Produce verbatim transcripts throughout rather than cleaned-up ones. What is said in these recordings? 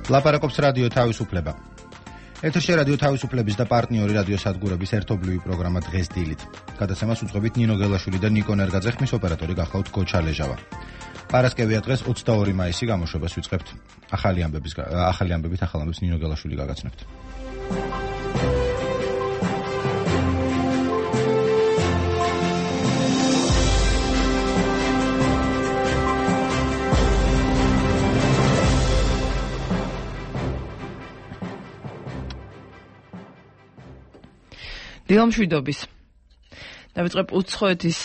ლაპარაკობს რადიო თავისუფლება. ეთერში რადიო თავისუფლების და პარტნიორი რადიო სადგურების ერთობლივი პროგრამა დღეს დილით. გადაცემას უძღვებით ნინო გელაშვილი და ნიკო ნერგაძე, ხმის ოპერატორი გახლავთ გოჩა ლეჟავა. პარასკევია დღეს ოცდაორი მაისი გამოშვებას ვიწყებთ. ახალი ამბების ახალი ამბებით ახალ ამბებს ნინო გელაშვილი გაგაცნობთ. დილამშვიდობის. დავიწყებ უცხოეთის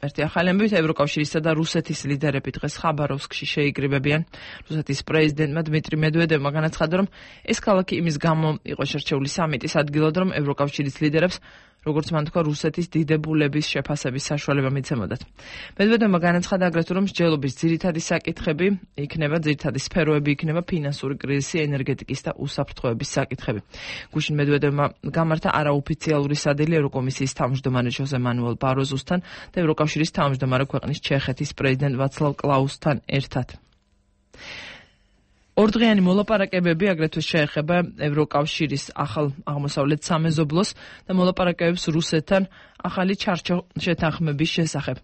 ერთი ახალი ამბებით. ევროკავშირისა და რუსეთის ლიდერები დღეს ხაბაროვსკში შეიკრიბებიან. რუსეთის პრეზიდენტმა დმიტრი მედვედევმა განაცხადა, რომ ეს ქალაქი იმის გამო იყო შერჩეული სამიტის ადგილად, რომ ევროკავშირის ლიდერებს, როგორც მან თქვა, რუსეთის დიდებულების შეფასების საშუალება მიცემოდათ. მედვედევმა განაცხადა აგრეთვე, რომ მსჯელობის ძირითადი საკითხები იქნება, ძირითადი სფეროები იქნება ფინანსური კრიზისი, ენერგეტიკის და უსაფრთხოების საკითხები. გუშინ მედვედევმა გამართა არაოფიციალური სადილი ევროკომისიის თავმჯდომარე ჟოზე მანუელ ბაროზუსთან და ევროკავშირის თავმჯდომარე ქვეყნის ჩეხეთის პრეზიდენტ ვაცლავ კლაუსთან ერთად. ორდღიანი მოლაპარაკებები აგრეთვე შეეხება ევროკავშირის ახალ აღმოსავლეთ სამეზობლოს და მოლაპარაკებებს რუსეთთან ახალი ჩარჩო შეთანხმების შესახებ.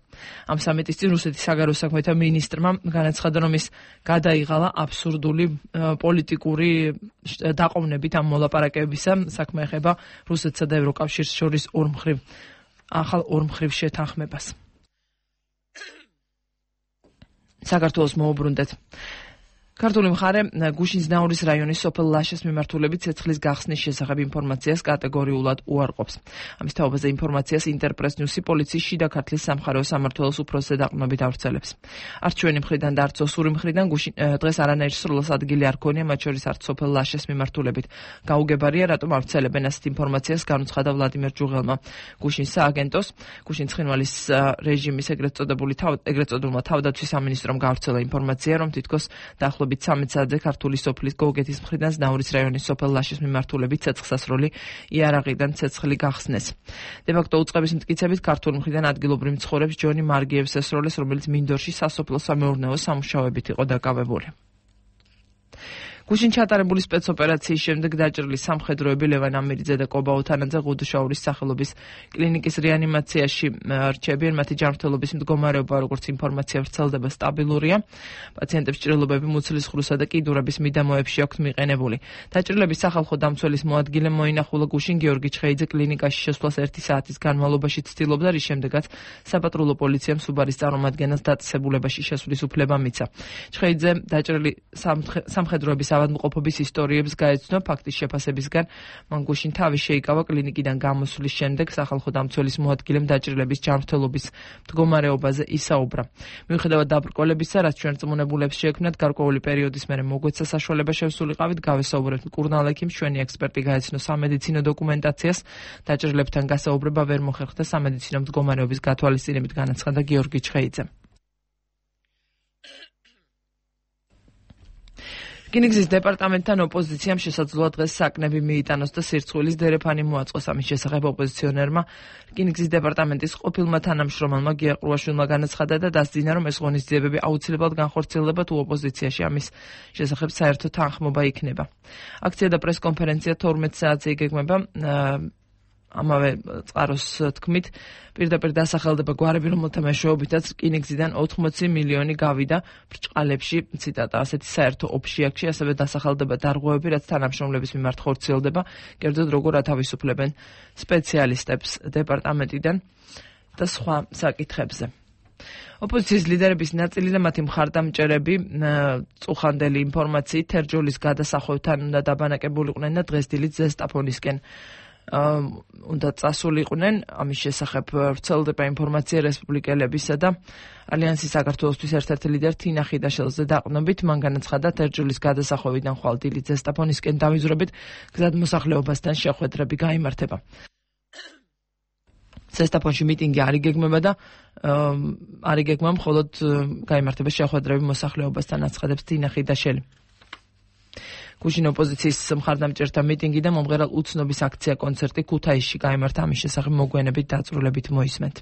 ამ სამიტის წინ რუსეთის საგარეო საქმეთა მინისტრმა განაცხადა, რომ ის გადაიღალა აბსურდული პოლიტიკური დაყოვნებით ამ მოლაპარაკებებისა. საქმე ეხება რუსეთსა და ევროკავშირს შორის ორმხრივ ახალ ორმხრივ შეთანხმებას. საქართველოს მოუბრუნდეთ. ქართული მხარე გუშინძნაურის რაიონის სოფელ ლაშეს მიმართულებით ცეცხლის გახსნის შესახებ ინფორმაციას კატეგორიულად უარყოფს. ამის თაობაზე ინფორმაციას ინტერპრეს ნიუსი პოლიციის შიდა ქართლის სამხარეო სამმართველოს უფროსზე დაყრდნობით ავრცელებს. არც ჩვენი მხრიდან და არც ოსური მხრიდან დღეს არანაირი სროლას ადგილი არ ქონია, მათ შორის არც სოფელ ლაშეს მიმართულებით. გაუგებარია, რატომ ავრცელებენ ასეთ ინფორმაციას, განუცხადა ვლადიმერ ჯუღელმა. გუშინ სააგენტოს, გუშინ ცხინვალის რეჟიმის ეგრეთ წოდებული ეგრეთ წოდებულმა თავდაცვის სამინისტრომ გაავრცელა ინფორმაცია, რომ თითქოს დაახლოებით ცამეტ საათზე ქართული სოფლის გოგეთის მხრიდან ზნაურის რაიონის სოფელ ლაშეს მიმართულებით ცეცხლსასროლი იარაღიდან ცეცხლი გახსნეს. დე-ფაქტო უწყების მტკიცებით ქართული მხრიდან ადგილობრივ მცხოვრებს ჯონი მარგიევს ესროლეს, რომელიც მინდორში სასოფლო სამეურნეო სამუშაოებით იყო დაკავებული. გუშინ ჩატარებული სპეცოპერაციის შემდეგ დაჭრილი სამხედროები ლევან ამირიძე და კობა უთანაძე ღუდუშაურის სახელობის კლინიკის რეანიმაციაში რჩებიან. მათი ჯანმრთელობის მდგომარეობა, როგორც ინფორმაცია ვრცელდება, სტაბილურია. პაციენტებს ჭრილობები მუცლის ხრუსა და კიდურების მიდამოებში აქვთ მიყენებული. დაჭრილების სახალხო დამცველის მოადგილემ მოინახულა გუშინ გიორგი ჩხეიძე კლინიკაში შესვლას ერთი საათის განმავლობაში ცდილობდა, რის შემდეგაც საპატრულო პოლიციამ სუბარის წარმომადგენელს დაწესებულებაში შესვლის უფლება მიცა. ჩხეიძე დაჭრილი სამხედროების ავადმყოფობის ისტორიებს გაეცნო. ფაქტის შეფასებისგან მან გუშინ თავი შეიკავა. კლინიკიდან გამოსვლის შემდეგ სახალხო დამცველის მოადგილემ დაჭრილების ჯანმრთელობის მდგომარეობაზე ისაუბრა. მიუხედავად დაბრკოლებისა, რაც ჩვენ რწმუნებულებს შეექმნათ, გარკვეული პერიოდის მერე მოგვეცა საშუალება შევსულიყავით, გავესაუბრებთ მკურნალ ექიმს, ჩვენი ექსპერტი გაეცნო სამედიცინო დოკუმენტაციას. დაჭრილებთან გასაუბრება ვერ მოხერხდა სამედიცინო მდგომარეობის გათვალისწინებით, განაცხადა გიორგი ჩხეიძემ. რკინიგზის დეპარტამენტთან ოპოზიციამ შესაძლოა დღეს საკნები მიიტანოს და სირცხვილის დერეფანი მოაწყოს. ამის შესახებ ოპოზიციონერმა რკინიგზის დეპარტამენტის ყოფილმა თანამშრომელმა გია ყრუაშვილმა განაცხადა და დასძინა, რომ ეს ღონისძიებები აუცილებლად განხორციელდება თუ ოპოზიციაში ამის შესახებ საერთო თანხმობა იქნება. აქცია და პრესკონფერენცია თორმეტ საათზე იგეგმება. ამავე წყაროს თქმით, პირდაპირ დასახელდება გვარები, რომელთა მეშვეობითაც რკინიგზიდან ოთხმოცი მილიონი გავიდა ბრჭყალებში, ციტატა, ასეთი საერთო ოფშიაქში, ასევე დასახელდება დარღვევები, რაც თანამშრომლების მიმართ ხორციელდება, კერძოდ როგორ ათავისუფლებენ სპეციალისტებს დეპარტამენტიდან და სხვა საკითხებზე. ოპოზიციის ლიდერების ნაწილი და მათი მხარდამჭერები წუხანდელი ინფორმაციით თერჯოლის გადასახვევთან უნდა დაბანაკებულიყვნენ და დღეს დილით ზესტაფონისკენ უნდა წასულიყვნენ. ამის შესახებ ვრცელდება ინფორმაცია რესპუბლიკელებისა და ალიანსის საქართველოსთვის ერთ-ერთი ლიდერ თინა ხიდაშელზე დაყრდნობით. მან განაცხადა, თერჯოლის გადასახვევიდან ხვალ დილით ზესტაფონისკენ დავიზრებით გზადმოსახლეობასთან შეხვედრები გაიმართება. ზესტაფონში მიტინგი არ იგეგმება და არ იგეგმება, მხოლოდ გაიმართება შეხვედრები მოსახლეობასთან, აცხადებს თინა ხიდაშელი. გუშინ ოპოზიციის მხარდამჭერთა მიტინგი და მომღერალ უცნობის აქცია კონცერტი ქუთაისში გაიმართა. ამის შესახებ მოგვიანებით დაწვრილებით მოისმენთ.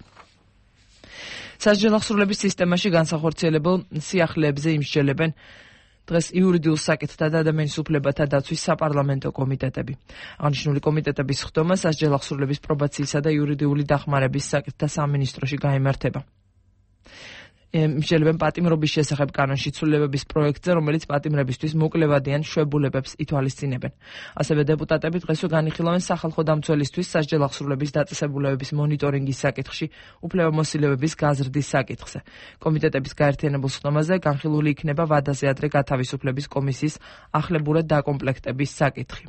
სასჯელახსრულების სისტემაში განსახორციელებელ სიახლეებზე იმსჯელებენ დღეს იურიდიულ საკითხთა და ადამიანის უფლებათა დაცვის საპარლამენტო კომიტეტები. აღნიშნული კომიტეტების ხდომა სასჯელ აღსრულების პრობაციისა და იურიდიული დახმარების საკითხთა სამინისტროში გაიმართება. მისჯელებენ პატიმრობის შესახებ კანონში ცვლილებების პროექტზე, რომელიც პატიმრებისთვის მოკლევადიან შვებულებებს ითვალისწინებენ. ასევე დეპუტატები დღესვე განიხილავენ სახალხო დამცველისთვის სასჯელ აღსრულების დაწესებულებების მონიტორინგის საკითხში უფლებამოსილებების გაზრდის საკითხზე. კომიტეტების გაერთიანებულ ხდომაზე განხილული იქნება ვადაზე ადრე გათავისუფლების კომისიის ახლებურად დაკომპლექტების საკითხი.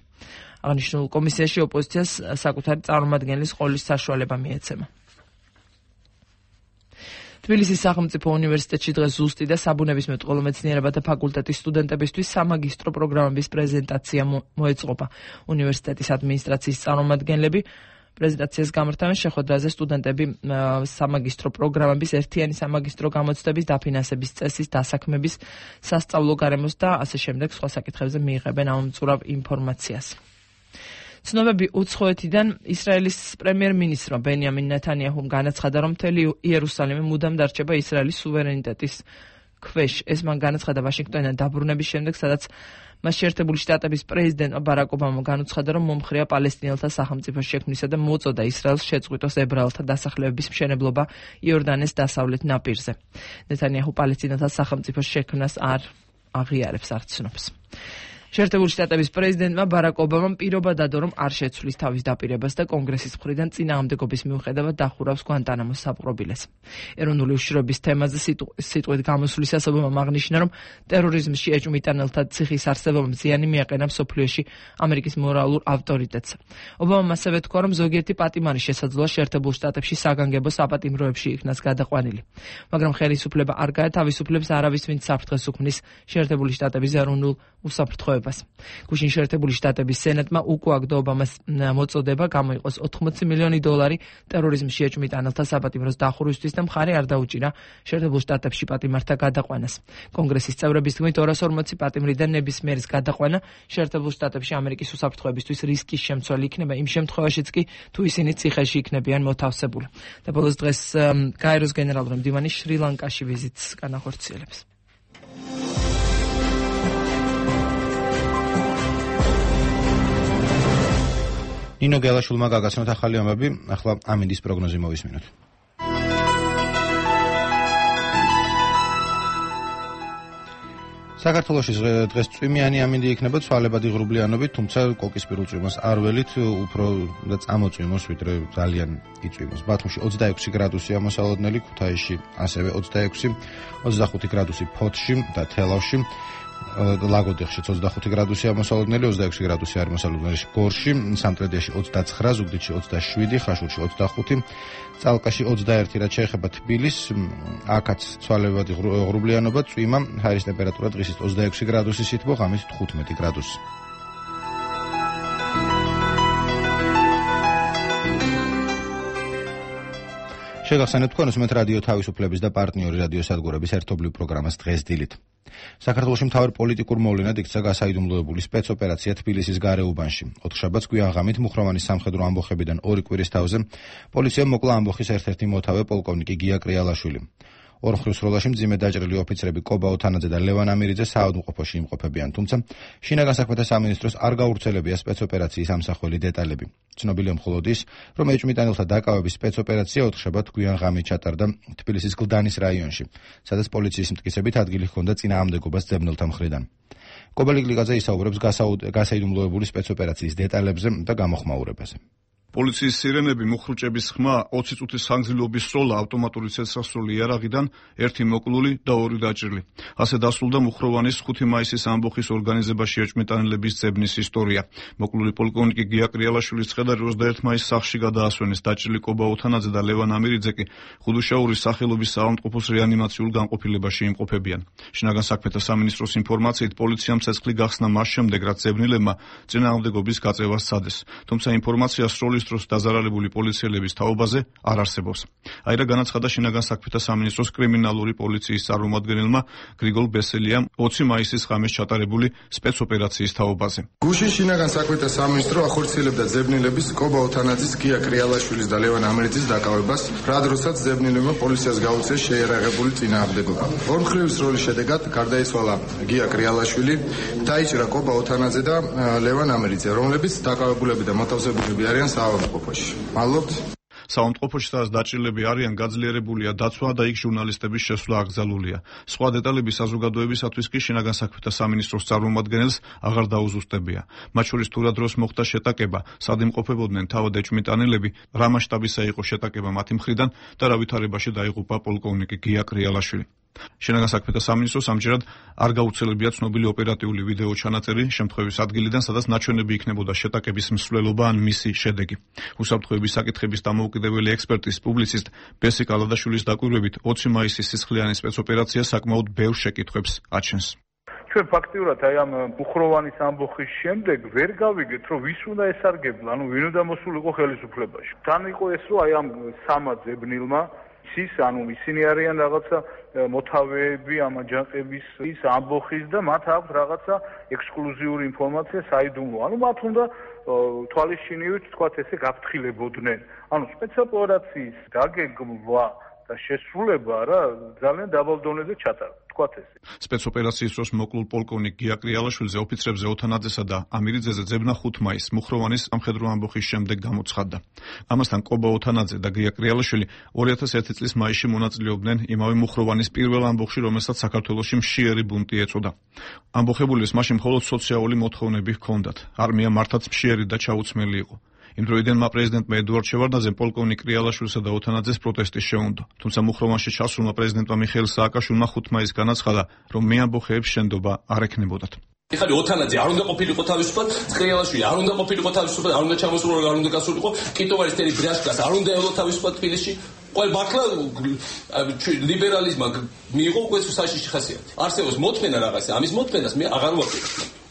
აღნიშნულ კომისიაში ოპოზიციას საკუთარი წარმომადგენლის ყოლის საშუალება მიეცემა. თბილისის სახელმწიფო უნივერსიტეტში დღეს ზუსტი და საბუნებისმეტყველო მეცნიერებათა ფაკულტეტის სტუდენტებისთვის სამაგისტრო პროგრამების პრეზენტაცია მოეწყობა. უნივერსიტეტის ადმინისტრაციის წარმომადგენლები პრეზენტაციას გამართავენ შეხვედრაზე სტუდენტები სამაგისტრო პროგრამების ერთიანი სამაგისტრო გამოცდების დაფინანსების წესის დასაქმების სასწავლო გარემოს და ასე შემდეგ სხვა საკითხებზე მიიღებენ ამომწურავ ინფორმაციას. ცნობები უცხოეთიდან ისრაელის პრემიერ-მინისტრმა ბენიამინ ნეთანიაჰუმ განაცხადა, რომ მთელი იერუსალიმი მუდამ დარჩება ისრაელის სუვერენიტეტის ქვეშ. ეს მან განაცხადა ვაშინგტონიდან დაბრუნების შემდეგ, სადაც მას შეერთებული შტატების პრეზიდენტმა ბარაკ ობამამ განუცხადა, რომ მომხრეა პალესტინელთა სახელმწიფოს შექმნისა და მოწოდა ისრაელს შეწყვიტოს ებრაელთა დასახლებების მშენებლობა იორდანეს დასავლეთ ნაპირზე. ნეთანიაჰუ პალესტინელთა სახელმწიფოს შექმნას არ აღიარებს, არ ცნობს. შეერთებული შტატების პრეზიდენტმა ბარაკ ობამამ პირობა დადო, რომ არ შეცვლის თავის დაპირებას და კონგრესის მხრიდან წინააღმდეგობის მიუხედავად დახურავს გვანტანამოს საპყრობილეს. ეროვნული უშიშროების თემაზე სიტყვით გამოსვლისას ობამამ აღნიშნა, რომ ტერორიზმში ეჭვმიტანელთა ციხის არსებობამ ზიანი მიაყენა მსოფლიოში ამერიკის მორალურ ავტორიტეტს. ობამამ ასევე თქვა, რომ ზოგიერთი პატიმარი შესაძლოა შეერთებულ შტატებში საგანგებო საპატიმროებში იქნას გადაყვანილი. მაგრამ ხელისუფლება არ გაათავისუფლებს არავის, ვინც საფრთხეს უქმნის შეერთებული შტატების ეროვნულ უსაფრთხოებას. გუშინ შეერთებული შტატების სენატმა უკუაგდო ობამას მოწოდება გამოიყოს ოთხმოცი მილიონი დოლარი ტერორიზმში ეჭვმიტანელთა საპატიმროს დახურვისთვის და მხარი არ დაუჭირა შეერთებულ შტატებში პატიმართა გადაყვანას. კონგრესის წევრების თქმით ორას ორმოცი პატიმრიდან ნებისმიერის გადაყვანა შეერთებულ შტატებში ამერიკის უსაფრთხოებისთვის რისკის შემცველი იქნება იმ შემთხვევაშიც კი, თუ ისინი ციხეში იქნებიან მოთავსებული. და ბოლოს დღეს გაეროს გენერალური მდივანი შრი-ლანკაში ვიზიტს განახორციელებს. ნინო გელაშვილმა გაგაცნოთ ახალი ამბები, ახლა ამინდის პროგნოზი მოვისმინოთ. საქართველოში დღეს წვიმიანი ამინდი იქნება ცვალებადი ღრუბლიანობით, თუმცა კოკისპირ უწვიმოს არ ველით, უფრო და წამოწვიმოს, ვიდრე ძალიან იწვიმოს. ბათუმში ოცდაექვსი გრადუსია მოსალოდნელი, ქუთაისში ასევე ოცდაექვსი, ოცდახუთი გრადუსი ფოთში და თელავში. ლაგოდეხშიც ოცდახუთი გრადუსია მოსალოდნელი, ოცდაექვსი გრადუსი არის მოსალოდნელი გორში, სამტრედიაში ოცდაცხრა, ზუგდიდში ოცდაშვიდი, ხაშურში ოცდახუთი, წალკაში ოცდაერთი, რაც შეეხება თბილისს, აქაც ცვალებადი ღრუბლიანობა, წვიმა, ჰაერის ტემპერატურა დღისით ოცდაექვსი გრადუსი სითბო, ღამით თხუთმეტი გრადუსი. შეგახსენებთ თქვენს მე რადიო თავისუფლების და პარტნიორი რადიო სადგურების ერთობლივ პროგრამას დღეს დილით. საქართველოში მთავარ პოლიტიკურ მოვლენად იქცა გასაიდუმლოებული სპეცოპერაცია თბილისის გარეუბანში. ოთხშაბათს გვიანღამით მუხროვანის სამხედრო ამბოხებიდან ორი კვირის თავზე პოლიციამ მოკლა ამბოხის ერთ-ერთი მოთავე პოლკოვნიკი გია კრიალაშვილი. ორმხრივ სროლაში მძიმე დაჭრილი ოფიცრები კობა ოთანაძე და ლევან ამირიძე საავადმყოფოში იმყოფებიან, თუმცა შინაგან საქმეთა სამინისტროს არ გაურცელებია სპეცოპერაციის ამსახველი დეტალები. ცნობილია მხოლოდ ის, რომ ეჭვმიტანელთა დაკავების სპეცოპერაცია ოთხშაბათ გვიანღამით ჩატარდა თბილისის გლდანის რაიონში, სადაც პოლიციის მტკიცებით ადგილი ჰქონდა წინააღმდეგობას ძებნელთა მხრიდან. კობალი გლიკაძე ისაუბრებს გასაიდუმლოებული სპეცოპერაციის დეტალებზე და გამოხმაურებაზე. პოლიციის სირენები, მუხრუჭების ხმა, ოცი წუთის ხანგრძლივობის სროლა, ავტომატური ცეცხლსროლი იარაღიდან, ერთი მოკლული და ორი დაჭრილი. ასე დასრულდა მუხროვანის ხუთი მაისის ამბოხის ორგანიზებაში ეჭვმიტანელების ძებნის ისტორია. მოკლული პოლკოვნიკი გია კრიალაშვილის ცხედარი ოცდაერთი მაისს სახლში გადაასვენეს, დაჭრილი კობა ოთანაძე და ლევან ამირიძე კი ხუდუშაურის სახელობის საავადმყოფოს რეანიმაციულ განყოფილებაში იმყოფებიან. შინაგან საქმეთა სამინისტროს ინფორმაციით, პოლიციამ ცეცხლი გახსნა მას შემდეგ, რაც ძებნილებმა წინააღმდეგობის გაწევას სცადეს. თუმცა ინფორმაცია სროლის სამინისტროს დაზარალებული პოლიციელების თაობაზე არ არსებობს. აირა განაცხადა შინაგან საქმეთა სამინისტროს კრიმინალური პოლიციის წარმომადგენელმა გრიგოლ ბესელიამ ოცი მაისის ღამეს ჩატარებული სპეცოპერაციის თაობაზე. გუშინ შინაგან საქმეთა სამინისტრო ახორციელებდა ზებნილების კობა ოთანაძის, გია კრიალაშვილის და ლევან ამერეთის დაკავებას, რა დროსაც ზებნილებმა პოლიციას გაუწიეს შეიარაღებული წინააღმდეგობა. ორმხრივის როლის შედეგად გარდაიცვალა გია კრიალაშვილი, დაიჭრა კობა ოთანაძე და ლევან ამერიძე, რომლებიც დაკავებულები და მოთავსებულები არიან საავადმყოფოში. მადლობთ. საავადმყოფოში სადაც დაჭრილები არიან, გაძლიერებულია დაცვა და იქ ჟურნალისტების შესვლა აკრძალულია. სხვა დეტალები საზოგადოებისათვის კი შინაგან საქმეთა სამინისტროს წარმომადგენელს აღარ დაუზუსტებია. მათ შორის თუ რა დროს მოხდა შეტაკება, სად იმყოფებოდნენ თავად ეჭვმიტანილები, რა მასშტაბისა იყო შეტაკება მათი მხრიდან და რა ვითარებაში დაიღუპა პოლკოვნიკი გია კრიალაშვილი. შინაგან საქმეთა სამინისტროს ამჯერად არ გაუცელებია ცნობილი ოპერატიული ვიდეო ჩანაწერი შემთხვევის ადგილიდან, სადაც ნაჩვენები იქნებოდა შეტაკების მსვლელობა ან მისი შედეგი. უსაფრთხოების საკითხების დამოუკიდებელი ექსპერტის პუბლიცისტ ბესი კალადაშვილის დაკვირვებით ოცი მაისის სისხლიანი სპეცოპერაცია საკმაოდ ბევრ შეკითხვებს აჩენს. ჩვენ ფაქტიურად აი ამ მუხროვანის ამბოხის შემდეგ ვერ გავიგეთ, რომ ვის უნდა ესარგებლა, ანუ ვინ უნდა მოსულიყო ხელისუფლებაში. თან იყო ეს, რომ აი ამ სამა ზებნილმა ის ანუ ისინი არიან რაღაცა მოთავეები ამ აჯანყების ის ამბოხის და მათ აქვს რაღაცა ექსკლუზიური ინფორმაცია საიდუმლო. ანუ მათ უნდა თვალისჩინივით თქვათ ესე გაფრთხილებოდნენ. ანუ სპეცოპერაციის დაგეგმვა და შესრულება რა ძალიან დაბალ დონეზე ჩატარდა. თქვათ ესე. სპეცოპერაციის დროს მოკლულ პოლკოვნიკ გია კრიალაშვილზე ოფიცრებზე ოთანაძესა და ამირიძეზე ძებნა ხუთ მაისს მუხროვანის სამხედრო ამბოხის შემდეგ გამოცხადდა. ამასთან კობა ოთანაძე და გია კრიალაშვილი ორი ათას ერთი წლის მაისში მონაწილეობდნენ იმავე მუხროვანის პირველ ამბოხში, რომელსაც საქართველოში მშიერი ბუნტი ეწოდა. ამბოხებულის მაშინ მხოლოდ სოციალური მოთხოვნები ჰქონდათ. არმია მართაც მშიერი და ჩაუცმელი იყო. იმ დროიდანმა პრეზიდენტმა ედუარდ შევარდნაძემ პოლკოვნიკ კრიალაშვილსა და ოთანაძეს პროტესტი შეუნდო. თუმცა მუხროვანში ჩასულმა პრეზიდენტმა მიხეილ სააკაშვილმა ხუთ მაისს განაცხადა, რომ მეამბოხეებს შენდობა არ ექნებოდათ. ეხლა ოთანაძე არ უნდა ყოფილიყო თავისუფლად, კრიალაშვილი არ უნდა ყოფილიყო თავისუფლად, არ უნდა ჩამოსულიყო, არ უნდა გასულიყო, კიტოვარის თერი ბრიაშკას არ უნდა ელო თავისუფლად თბილისში. ყოველ ბაქლა ლიბერალიზმმა მიიღო უკვე საშიში ხასიათი. არსებობს მოთმენა რაღაცა, ამის მოთმენას მე აღარ ვაპირებ.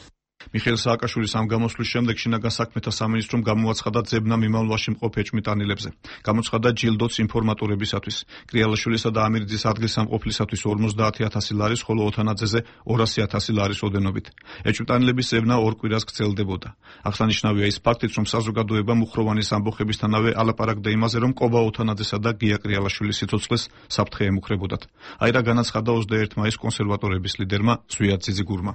მიხეილ სააკაშვილის ამ გამოსვლის შემდეგ შინაგან საქმეთა სამინისტრომ გამოაცხადა ძებნა მიმავლობაში მყოფ ეჭვმიტანილებზე. გამოცხადა ჯილდოც ინფორმატორებისათვის. კრიალაშვილისა და ამირიძის ადგილსამყოფლისათვის ორმოცდაათი ათასი ლარის, ხოლო ოთანაძეზე ორასი ათასი ლარის ოდენობით. ეჭვმიტანილების ძებნა ორ კვირას გრძელდებოდა. აღსანიშნავია ის ფაქტიც, რომ საზოგადოება მუხროვანის ამბოხებისთანავე ალაპარაკდა იმაზე, რომ კობა ოთანაძესა და გია კრიალაშვილის სიცოცხლეს საფრთხე ემუქრებოდათ. აირა განაცხადა ოცდაერთი მაისს კონსერვატორების ლიდერმა ზვიად ძიძიგურმა.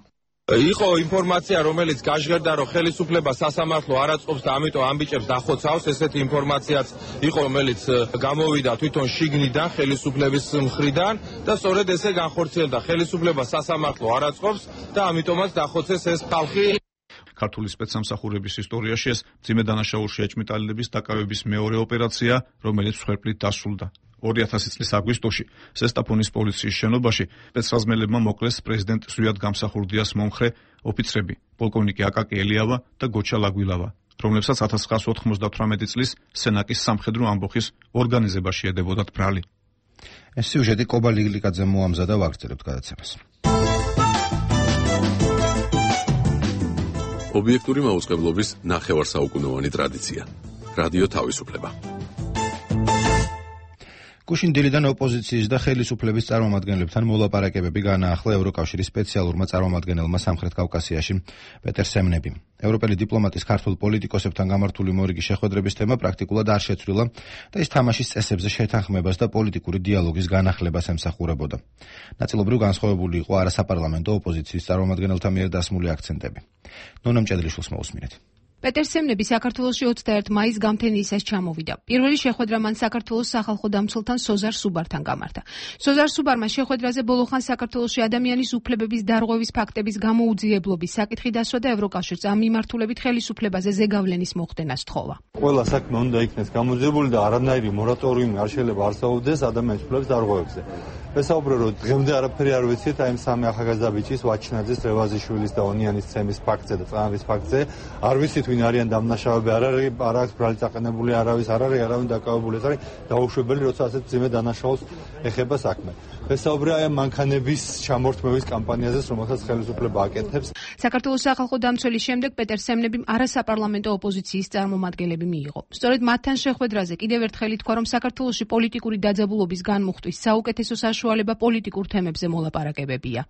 იყო ინფორმაცია, რომელიც გაჟღერდა, რომ ხელისუფლება სასამართლო არ აწყობს და ამიტომ ამბიჭებს დახოცავს. ესეთი ინფორმაციაც იყო, რომელიც გამოვიდა თვითონ შიგნიდან ხელისუფლების მხრიდან და სწორედ ესე განხორციელდა. ხელისუფლება სასამართლო არ აწყობს და ამიტომაც დახოცეს ეს ხალხი. ქართული სპეცსამსახურების ისტორიაში ეს მძიმე დანაშაულში ეჭვმიტანილების დაკავების მეორე ოპერაცია, რომელიც მსხვერპლით დასრულდა. ორი ათასი წლის აგვისტოში ზესტაფონის პოლიციის შენობაში სპეცრაზმელებმა მოკლეს პრეზიდენტ ზვიად გამსახურდიას მომხრე ოფიცრები პოლკოვნიკი აკაკი ელიავა და გოჩა ლაგვილავა, რომლებსაც ათას ცხრაასი ოთხმოცდათვრამეტი წლის სენაკის სამხედრო ამბოხის ორგანიზებაში ედებოდათ ბრალი. ეს სიუჟეტი კობა ლიგლიკაძემ მოამზადა, ვაგრძელებთ გადაცემას. ობიექტური მაუწყებლობის ნახევარსაუკუნოვანი ტრადიცია. რადიო თავისუფლება. გუშინ დილიდან ოპოზიციის და ხელისუფლების წარმომადგენლებთან მოლაპარაკებები განაახლა ევროკავშირის სპეციალურმა წარმომადგენელმა სამხრეთ კავკასიაში პეტერ სემნები. ევროპელი დიპლომატის ქართულ პოლიტიკოსებთან გამართული მორიგი შეხვედრების თემა პრაქტიკულად არ შეცვლილა და ის თამაშის წესებზე შეთანხმებას და პოლიტიკური დიალოგის განახლებას ემსახურებოდა. ნაწილობრივ განსხვავებული იყო არასაპარლამენტო ოპოზიციის წარმომადგენელთა მიერ დასმული აქცენტები. ნონა მჭედლიშვილს მოусმინეთ. პეტერ სემნები საქართველოში ოცდაერთი მაისს გამთენიისას ჩამოვიდა. პირველი შეხვედრა მან საქართველოს სახალხო დამცველთან სოზარ სუბართან გამართა. სოზარ სუბარმა შეხვედრაზე ბოლოხან საქართველოში ადამიანის უფლებების დარღვევის ფაქტების გამოუძიებლობის საკითხი დასვა და ევროკავშირს ამ მიმართულებით ხელისუფლებაზე ზეგავლენის მოხდენას თხოვა. ყველა საქმე უნდა იქნეს გამოძიებული და არანაირი მორატორიუმი არ შეიძლება არსებობდეს ადამიანის უფლებების დარღვევებზე. ვესაუბრე, რომ დღემდე არაფერი არ ვიცით აი ამ სამი ახალგაზრდა ბიჭის, ვაჩინაძის, რევაზიშვილის და ონიანის ცემის ფაქტზე და წამების ფაქტზე. არ ვიცით ვინ არიან დამნაშავეები არ არის, არ აქვს ბრალი წაყენებული არავის, არ არის არავინ დაკავებული, ეს არის დაუშვებელი, როცა ასეთ ძიმე დანაშაულს ეხება საქმე. ვესაუბრე აი მანქანების ჩამორთმევის კამპანიაზე, რომელსაც ხელისუფლება აკეთებს. საქართველოს სახალხო დამცველის შემდეგ პეტერ სემნებიმ არასაპარლამენტო ოპოზიციის წარმომადგენლები მიიღო. სწორედ მათთან შეხვედრაზე კიდევ ერთხელ ითქვა, რომ საქართველოში პოლიტიკური დაძაბულობის განმუხტვის საუკეთესო საშუალება პოლიტიკურ თემებზე მოლაპარაკებებია.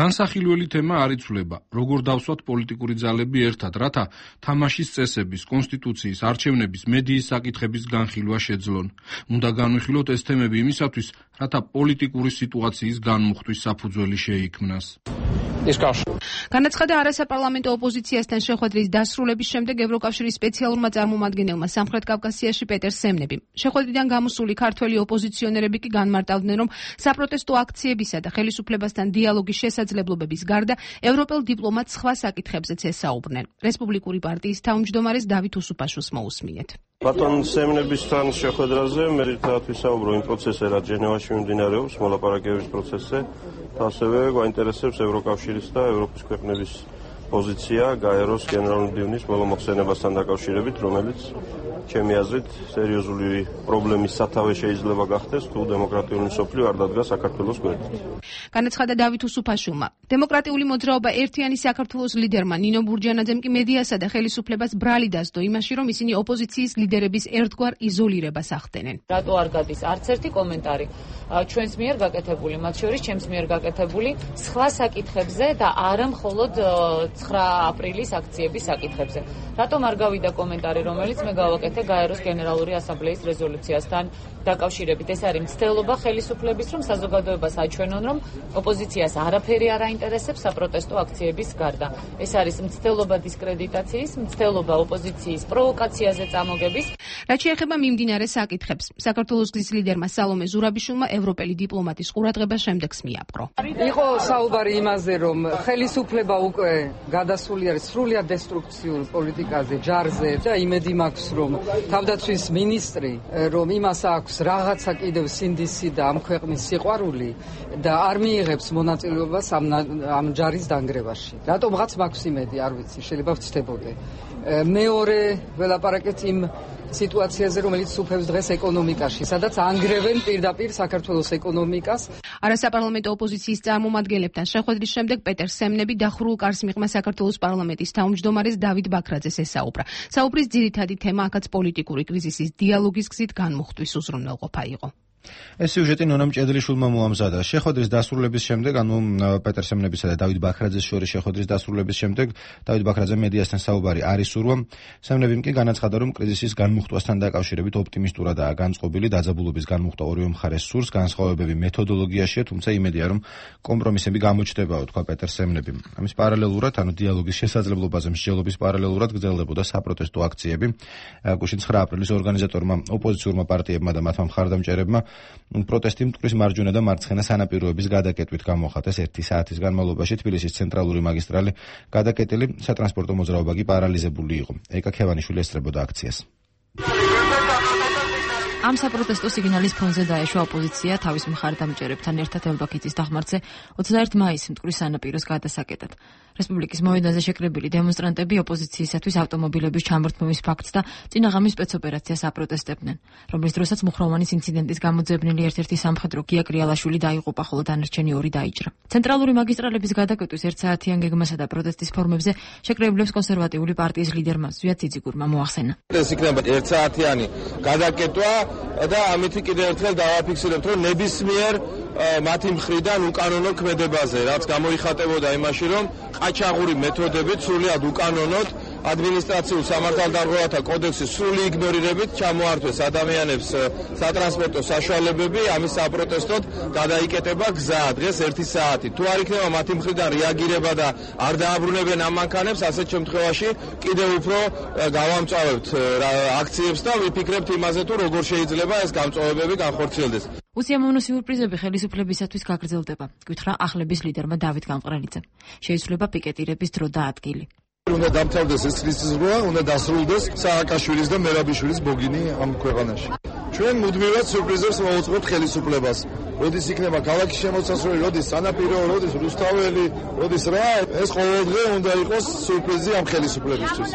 განსახილველი თემა არ იცვლება, როგორ დავსვათ პოლიტიკური ძალები ერთად, რათა თამაშის წესების, კონსტიტუციის, არჩევნების, მედიის საკითხების განხილვა შეძლონ. უნდა განვიხილოთ ეს თემები იმისათვის, რათა პოლიტიკური სიტუაციის განმუხტვის საფუძველი შეიქმნას. განაცხადა არასაპარლამენტო ოპოზიციასთან შეხვედრის დასრულების შემდეგ ევროკავშირის სპეციალურმა წარმომადგენელმა სამხრეთ კავკასიაში პეტერ სემნებიმ. შეხვედრიდან გამოსული ქართველი ოპოზიციონერები კი განმარტავდნენ, რომ საპროტესტო აქციებისა და ხელისუფლებასთან დიალოგის შესაძლებლობების გარდა ევროპელ დიპლომატს სხვა საკითხებზეც ესაუბრნენ. რესპუბლიკური პარტიის თავმჯდომარეს დავით უსუფაშვილს მოусმინეთ. ბატონ სემნებისთან შეხვედრაზე მე ერთად ვისაუბრო იმ პროცესზე, რაც ჟენევაში მიმდინარეობს, მოლაპარაკებების პროცესზე. ასევე გვაინტერესებს ევროკავშირის და ევროპის ქვეყნების პოზიცია გაეროს გენერალური მდივნის ბოლო მოხსენებასთან დაკავშირებით, რომელიც ჩემი აზრით სერიოზული პრობლემის სათავე შეიძლება გახდეს, თუ დემოკრატიული მსოფლიო არ დადგა საქართველოს გვერდით. განაცხადა დავით უსუფაშვილმა. დემოკრატიული მოძრაობა ერთიანი საქართველოს ლიდერმა ნინო ბურჯანაძემ კი მედიასა და ხელისუფლებას ბრალი დასდო იმაში, რომ ისინი ოპოზიციის ლიდერების ერთგვარ იზოლირებას ახდენენ. რატო არ გადის არც ერთი კომენტარი ჩვენს მიერ გაკეთებული, მათ შორის ჩემს მიერ გაკეთებული სხვა საკითხებზე და არა მხოლოდ ცხრა აპრილის აქციების საკითხებზე. რატომ არ გავიდა კომენტარი, რომელიც მე გავაკეთე გაეროს გენერალური ასამბლეის რეზოლუციასთან დაკავშირებით? ეს არის მცდელობა ხელისუფლების, რომ საზოგადოებას აჩვენონ, რომ ოპოზიციას არაფერი არ აინტერესებს საპროტესტო აქციების გარდა. ეს არის მცდელობა დისკრედიტაციის, მცდელობა ოპოზიციის პროვოკაციაზე წამოგების. რაც შეეხება მიმდინარე საკითხებს, საქართველოს გზის ლიდერმა სალომე ზურაბიშვილმა ევროპელი დიპლომატის ყურადღება შემდეგს მიაპყრო. იყო საუბარი იმაზე, რომ ხელისუფლება უკვე გადასული არის სრულიად დესტრუქციულ პოლიტიკაზე, ჯარზე და იმედი მაქვს, რომ თავდაცვის მინისტრი, რომ იმას აქვს რაღაცა კიდევ სინდისი და ამ ქვეყნის სიყვარული და არ მიიღებს მონაწილეობას ამ ამ ჯარის დანგრევაში. რატომღაც მაქვს იმედი, არ ვიცი, შეიძლება ვცდებოდე. მეორე ველაპარაკეთ იმ სიტუაციაზე, რომელიც უფევს დღეს ეკონომიკაში, სადაც ანგრევენ პირდაპირ საქართველოს ეკონომიკას. არასაპარლამენტო ოპოზიციის წარმომადგენლებთან შეხვედრის შემდეგ პეტერ სემნები დახურულ კარს მიღმა საქართველოს პარლამენტის თავმჯდომარეს დავით ბაქრაძეს ესაუბრა. საუბრის ძირითადი თემა აქაც პოლიტიკური კრიზისის დიალოგის გზით განმუხტვის უზრუნველყოფა იყო. ეს სიუჟეტი ნონა მჭედლიშვილმა მოამზადა. შეხვედრის დასრულების შემდეგ, ანუ პეტერ სემნებისა და დავით ბაქრაძეს შორის შეხვედრის დასრულების შემდეგ, დავით ბაქრაძემ მედიასთან საუბარი არ ისურვა. სემნებიმ კი განაცხადა, რომ კრიზისის განმუხტვასთან დაკავშირებით ოპტიმისტურადაა განწყობილი, დაძაბულობის განმუხტვა ორივე მხარეს სურს, განსხვავებები მეთოდოლოგიაშია, თუმცა იმედია, რომ კომპრომისები გამოჩნდებაო, თქვა პეტერ სემნებიმ. ამის პარალელურად, ანუ დიალოგის შესაძლებლობაზე მსჯელობის პარალელურად გრძელდებოდა საპროტესტო აქციები. გუშინ ცხრა აპრილის ორგანიზატორმა ოპოზიციურმა პარტიებმა და მათმა მხარდამჭერებმა პროტესტი მტკვრის მარჯვენა და მარცხენა სანაპიროების გადაკეტვით გამოხატეს. ერთი საათის განმავლობაში თბილისის ცენტრალური მაგისტრალი გადაკეტილი, სატრანსპორტო მოძრაობა კი პარალიზებული იყო. ეკა ქევანიშვილი ესწრებოდა აქციას. ამ საპროტესტო სიგნალის ფონზე დაეშვა ოპოზიცია თავის მხარდამჭერებთან ერთად ელბაქიცის დახმარზე ოცდაერთი მაისს მტკვრის სანაპიროს გადასაკეტად. რესპუბლიკის მოედანზე შეკრებილი დემონსტრანტები ოპოზიციისათვის ავტომობილების ჩამორთმევის ფაქტს და წინაღამის სპეცოპერაციას აპროტესტებდნენ, რომლის დროსაც მუხროვანის ინციდენტის გამოძებნილი ერთ-ერთი სამხედრო გია კრიალაშვილი დაიღუპა, ხოლო დანარჩენი ორი დაიჭრა. ცენტრალური მაგისტრალების გადაკეტვის ერთსაათიან გეგმასა და პროტესტის ფორმებზე შეკრებილებს კონსერვატიული პარტიის ლიდერმა ზვია ციციგურმა მოახსენა. ეს იქნება ერთსაათიანი გადაკეტვა და ამით კიდევ ერთხელ დავაფიქსირებთ, რომ ნებისმიერ მათი მხრიდან უკანონო ქმედებაზე, რაც გამოიხატებოდა იმაში, რომ ყაჩაღური მეთოდებით სრულიად უკანონოდ ადმინისტრაციულ სამართალდარღვევათა კოდექსის სრული იგნორირებით ჩამოართვეს ადამიანებს სატრანსპორტო საშუალებები, ამის საპროტესტოდ გადაიკეტება გზა დღეს ერთი საათი. თუ არ იქნება მათი მხრიდან რეაგირება და არ დააბრუნებენ ამ მანქანებს, ასეთ შემთხვევაში კიდევ უფრო გავამწვავებთ აქციებს და ვიფიქრებთ იმაზე, თუ როგორ შეიძლება ეს გამწვავებები განხორციელდეს. უსიამოვნო სიურპრიზები ხელისუფლებისათვის გაგრძელდება, გითხრა ახლების ლიდერმა დავით გამყრელიძემ. შეიცვლება პიკეტირების დრო და ადგილი. უნდა დამთავრდეს ეს ხრისის ზღვა, უნდა დასრულდეს სააკაშვილის და მერაბიშვილის ბოგინი ამ ქვეყანაში. ჩვენ მუდმივად სურპრიზებს მოვუწყებთ ხელისუფლებას. როდის იქნება ქალაქის შემოსასვლელი, როდის სანაპირო, როდის რუსთაველი, როდის რა, ეს ყოველდღე უნდა იყოს სურპრიზი ამ ხელისუფლებისთვის.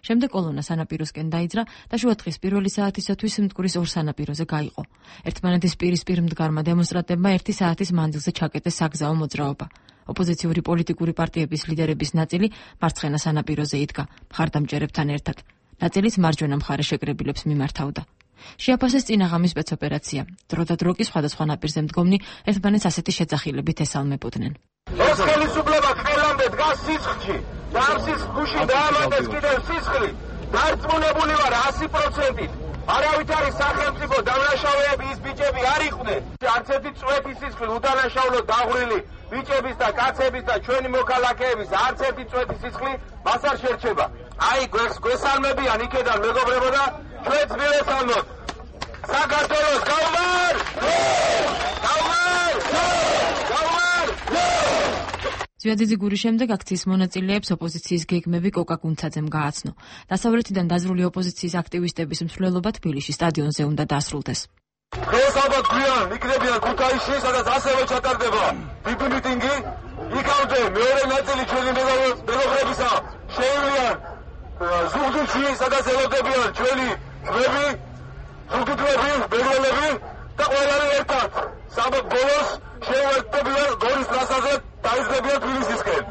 შემდეგ კოლონა სანაპიროსკენ დაიძრა და შუადღის პირველი საათისათვის მტკვრის ორ სანაპიროზე გაიყო. ერთმანეთის პირისპირ მდგარმა დემონსტრანტებმა ერთი საათის მანძილზე ჩაკეტეს საგზაო მოძრაობა. ოპოზიციური პოლიტიკური პარტიების ლიდერების ნაწილი მარცხენა სანაპიროზე იდგა, მხარდამჭერებთან ერთად. ნაწილიც მარჯვენა მხარე შეკრებილებს მიმართავდა. შეაფასეს წინაღამის სპეცოპერაცია. დრო და დრო კი სხვადასხვა ნაპირზე მდგომნი ერთმანეთს ასეთი შეძახილებით ესალმებოდნენ. ეს ხელისუფლება ყველამდე დგას სისხლში. და ამ სისხლში დაამატეს კიდევ სისხლი. დარწმუნებული ვარ ასი პროცენტით. არავით არის სახელმწიფო დამნაშავეები ის ბიჭები არ იყვნენ. არც ერთი წვეთი სისხლი უდანაშაულო დაღვრილი ბიჭების და კაცების და ჩვენი მოქალაქეების არც ერთი წვეთი სისხლი მას არ შერჩება. აი გვესალმებიან იქედან მეგობრებო და ჩვენც მივესალმოთ. საქართველოს გაუმარ! გაუმარ! გაუმარ! ზვიადიძე გურის შემდეგ აქციის მონაწილეებს ოპოზიციის გეგმები კოკა გუნცაძემ გააცნო. დასავლეთიდან დაზრული ოპოზიციის აქტივისტების მსვლელობა თბილისში სტადიონზე უნდა დასრულდეს. დღეს ალბათ გვიან იქნებიან ქუთაისში, სადაც ასევე ჩატარდება დიდი მიტინგი. იქამდე მეორე ნაწილი ჩვენი მეგობრებისა შეივლიან ზუგდიდში, სადაც ელოდებიან ჩვენი ძმები, ზუგდიდები, მეგრელები და ყველანი ერთად. საბოლოო ბოლოს შეუერთდებიან გორის ტრასაზე დაიძლებიან თბილისისკენ.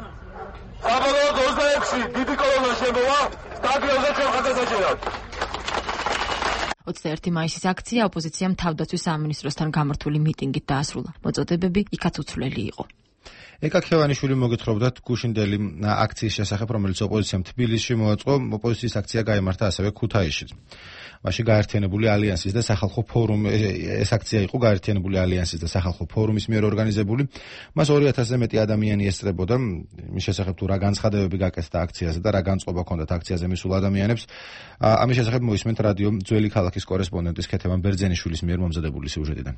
საბოლოოდ ოცდაექვსი დიდი კოლონა შემოვა სტადიონზე ჩვენ ხაზგასაჭერად. ოცდაერთი მაისის აქცია ოპოზიციამ თავდაცვის სამინისტროსთან გამართული მიტინგით დაასრულა. მოწოდებები იქაც უცვლელი იყო. ეკა ქევანიშვილი მოგეთხრობდათ გუშინდელი აქციის შესახებ, რომელიც ოპოზიციამ თბილისში მოაწყო. ოპოზიციის აქცია გაიმართა ასევე ქუთაისშიც. მაშინ გაერთიანებული ალიანსის და სახალხო ფორუმ ეს აქცია იყო გაერთიანებული ალიანსის და სახალხო ფორუმის მიერ ორგანიზებული. მას ორი ათასზე მეტი ადამიანი ესწრებოდა. მის შესახებ თუ რა განცხადებები გაკეთდა აქციაზე და რა განწყობა ჰქონდათ აქციაზე მისულ ადამიანებს. ამის შესახებ მოისმენთ რადიო ძველი ქალაქის კორესპონდენტის ქეთევან ბერძენიშვილის მიერ მომზადებული სიუჟეტიდან.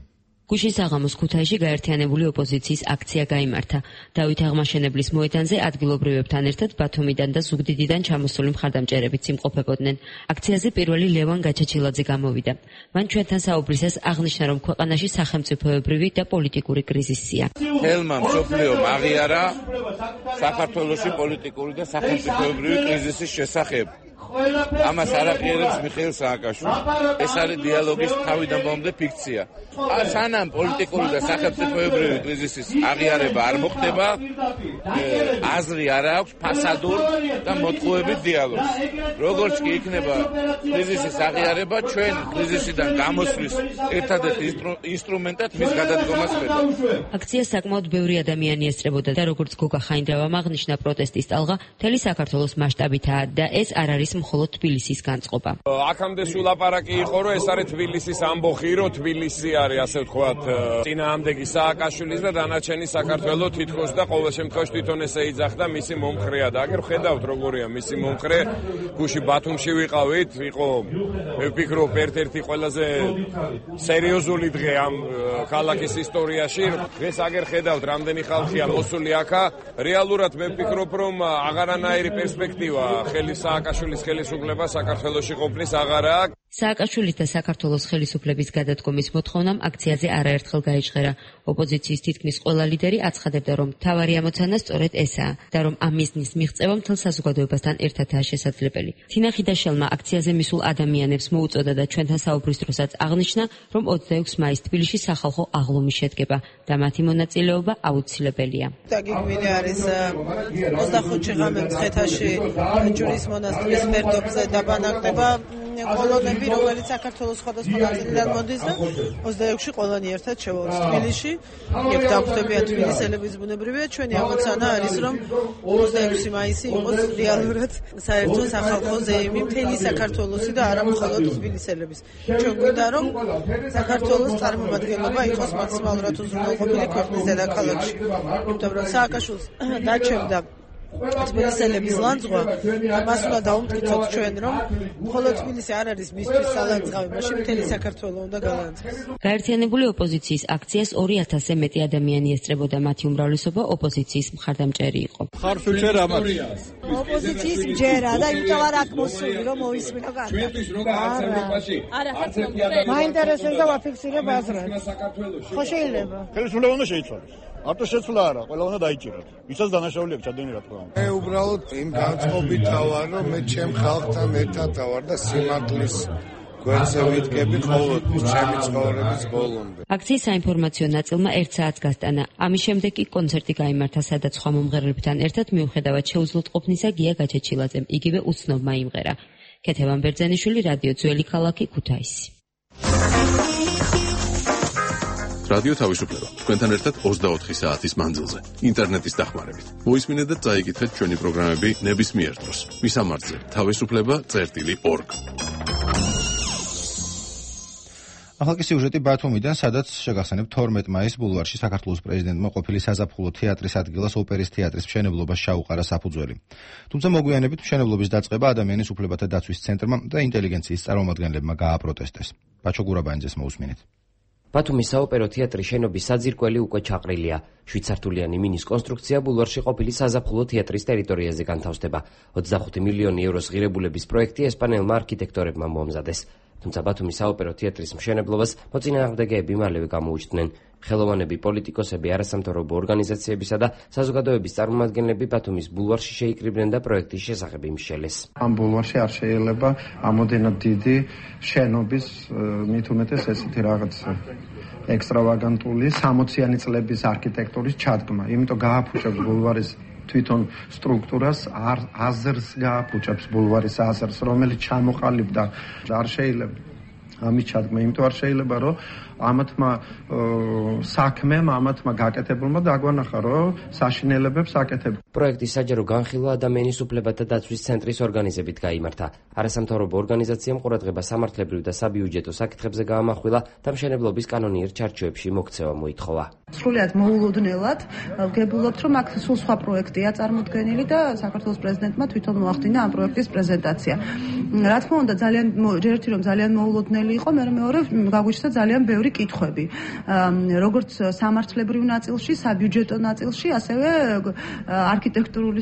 გუშინ საღამოს ქუთაისში გაერთიანებული ოპოზიციის აქცია გაიმართა. დავით აღმაშენებლის მოედანზე ადგილობრივებთან ერთად ბათუმიდან და ზუგდიდიდან ჩამოსული მხარდამჭერებიც იმყოფებოდნენ. აქციაზე პირველი ლევან გაჩაჩილაძე გამოვიდა. მან ჩვენთან საუბრისას აღნიშნა, რომ ქვეყანაში სახელმწიფოებრივი და პოლიტიკური კრიზისია. ხელმა მსოფლიომ აღიარა საქართველოში პოლიტიკური და სახელმწიფოებრივი კრიზისის შესახებ. ამას არ აღიარებს მიხეილ სააკაშვილი. ეს არის დიალოგის თავიდან ბოლომდე ფიქცია. სანამ პოლიტიკური და სახელმწიფოებრივი კრიზისის აღიარება არ მოხდება, აზრი არ აქვს ფასადურ და მოტყუებით დიალოგს. როგორც კი იქნება კრიზისის აღიარება, ჩვენ კრიზისიდან გამოსვლის ერთადერთ ინსტრუმენტად მის გადადგომას ვხედავთ. აქციას საკმაოდ ბევრი ადამიანი ესწრებოდა და როგორც გოგა ხაინდრავამ აღნიშნა, პროტესტის ტალღა მთელი საქართველოს მასშტაბითაა და ეს არ არის მხოლოდ თბილისის განწყობა. აქამდე სულ ლაპარაკი იყო, რომ ეს არის თბილისის ამბოხი, რომ თბილისი არის, ასე ვთქვათ, წინააღმდეგი სააკაშვილის და დანარჩენი საქართველოს თითქოს და ყოველ შემთხვევაში თვითონ ესე იძახდა მისი მომხრეა და აგერ ხედავთ როგორია მისი მომხრე. გუში ბათუმში ვიყავით, იყო მე ვფიქრობ ერთ-ერთი ყველაზე სერიოზული დღე ამ ქალაქის ისტორიაში. დღეს აგერ ხედავთ რამდენი ხალხია მოსული აქა. რეალურად მე ვფიქრობ, რომ აღარანაირი პერსპექტივა ხელი სააკაშვილის ხელისუფლება საქართველოში ყოფნის აღარა აქვს. სააკაშვილის და საქართველოს ხელისუფლების გადადგომის მოთხოვნამ აქციაზე არაერთხელ გაიჟღერა. ოპოზიციის თითქმის ყველა ლიდერი აცხადებდა, რომ მთავარი ამოცანა სწორედ ესაა და რომ ამ მიზნის მიღწევა მთელ საზოგადოებასთან ერთადაა შესაძლებელი. თინა ხიდაშელმა აქციაზე მისულ ადამიანებს მოუწოდა და ჩვენთან საუბრის დროსაც აღნიშნა, რომ ოცდაექვსი მაისს თბილისში სახალხო აღლუმი შედგება და მათი მონაწილეობა აუცილებელია. დაგეგმილი არის ოცდახუთში ღამე მცხეთაში ჯვრის მონასტრის ფერდობზე დაბანაკდება კოლონები, რომელიც საქართველოს სხვადასხვა ნაწილიდან მოდის და ოცდაექვსში ყველანი ერთად შევავთ თბილისში. იქ დაგვხვდებიან თბილისელებიც ბუნებრივია. ჩვენი ამოცანა არის, რომ ოცდაექვსი მაისი იყოს რეალურად საერთო სახალხო ზეიმი მთელი საქართველოსი და არა მხოლოდ თბილისელების. ჩვენ გვინდა, რომ საქართველოს წარმომადგენლობა იყოს მაქსიმალურად უზრუნველყოფილი ქვეყნის დედაქალაქში. იმიტომ რომ სააკაშვილს დაჩემდა თბილისელების ლანძღვა, მას უნდა დაუმტკიცოთ ჩვენ, რომ მხოლოდ თბილისი არ არის მისთვის სალანძღავი, მაშინ მთელი საქართველო უნდა გალანძღოს. გაერთიანებული ოპოზიციის აქციას ორი ათასზე მეტი ადამიანი ესწრებოდა, მათი უმრავლესობა ოპოზიციის მხარდამჭერი იყო. ხარს უჭერ ამას. ოპოზიციის ჯერა და იმიტომ არ აქვს მოსული რომ მოისმინო კარგად. არა. მაინტერესებს და ვაფიქსირებ აზრად. ხო შეიძლება. ხელისუფლება უნდა შეიცვალოს. არტო შეცვლა არა, ყველა უნდა დაიჭიროთ. ვისაც დანაშაული აქვს ჩადენი რა თქმა უნდა. მე უბრალოდ იმ განწყობით ავარ, რომ მე ჩემ ხალხთან ერთად ავარ და სიმართლის გვერდზე ვიდგები ყოველთვის ჩემი ცხოვრების ბოლომდე. აქციის საინფორმაციო ნაწილმა ერთ საათს გასტანა. ამის შემდეგ კი კონცერტი გაიმართა, სადაც სხვა მომღერლებთან ერთად მიუხედავად შეუძლოთყოფნისა გია გაჩეჩილაძემ იგივე უცნობმა იმღერა. ქეთევან ბერძენიშვილი, რადიო ძველი ქალაქი, ქუთაისი. რადიო თავისუფლება. თქვენთან ერთად ოცდაოთხი საათის მანძილზე. ინტერნეტის დახმარებით. მოისმინეთ და წაიკითხეთ ჩვენი პროგრამები ნებისმიერ დროს. მისამართზე თავისუფლება წერტილი ორგ. ახალ სიუჟეტი ბათუმიდან, სადაც შეგახსენებთ თორმეტ მაისს ბულვარში საქართველოს პრეზიდენტმა ყოფილი საზაფხულო თეატრის ადგილას ოპერის თეატრის მშენებლობას ჩაუყარა საფუძველი. თუმცა მოგვიანებით მშენებლობის დაწყება ადამიანის უფლებათა დაცვის ცენტრმა და ინტელიგენციის წარმომადგენლებმა გააპროტესტეს. ბაჩო გურაბანიძეს მოусმინეთ. ბათუმის საოპერო თეატრის შენობის საძირკველი უკვე ჩაყრილია. შვიდსართულიანი მინის კონსტრუქცია ბულვარში ყოფილი საზაფხულო თეატრის ტერიტორიაზე განთავსდება. ოცდახუთი მილიონი ევროს ღირებულების პროექტი ესპანელმა არქიტექტორებმა მოამზადეს. თუმცა ბათუმის საოპერო თეატრის მშენებლობას მოწინააღმდეგეები მალევე გამოუჩნდნენ. ხელოვანები, პოლიტიკოსები, არასამთავრობო ორგანიზაციებისა და საზოგადოების წარმომადგენლები ბათუმის ბულვარში შეიკრიბნენ და პროექტის შესახებ იმშელეს. ამ ბულვარში არ შეიძლება ამოდენად დიდი შენობის, მით უმეტეს ესეთი რაღაც ექსტრავაგანტული სამოციანი წლების არქიტექტურის ჩადგმა. იმიტომ გააფუჭებს ბულვარის თვითონ სტრუქტურას, აზრს გააფუჭებს ბულვარის აზრს, რომელიც ჩამოყალიბდა. არ შეიძლება ამის ჩადგმა, იმიტომ არ შეიძლება, რომ ამათმა საქმემ, ამათმა გაკეთებულმა დაგვანახა, რომ საშინელებებს აკეთებენ. პროექტის საჯარო განხილვა ადამიანის უფლებათა დაცვის ცენტრის ორგანიზებით გაიმართა. არასამთავრობო ორგანიზაციამ ყურადღება სამართლებრივ და საბიუჯეტო საკითხებზე გაამახვილა და მშენებლობის კანონიერ ჩარჩოებში მოქცევა მოითხოვა. სრულიად მოულოდნელად ვგებულობთ, რომ აქ სულ სხვა პროექტია წარმოდგენილი და საქართველოს პრეზიდენტმა თვითონ მოახდინა ამ პროექტის პრეზენტაცია. რა თქმა უნდა, ძალიან ერთი რომ ძალიან მოულოდნელი იყო, მე მეორე გაგვიჩნდა ძალიან ბევრი კითხვები. როგორც სამართლებრივ ნაწილში, საბიუჯეტო ნაწილში, ასევე არქიტექტურული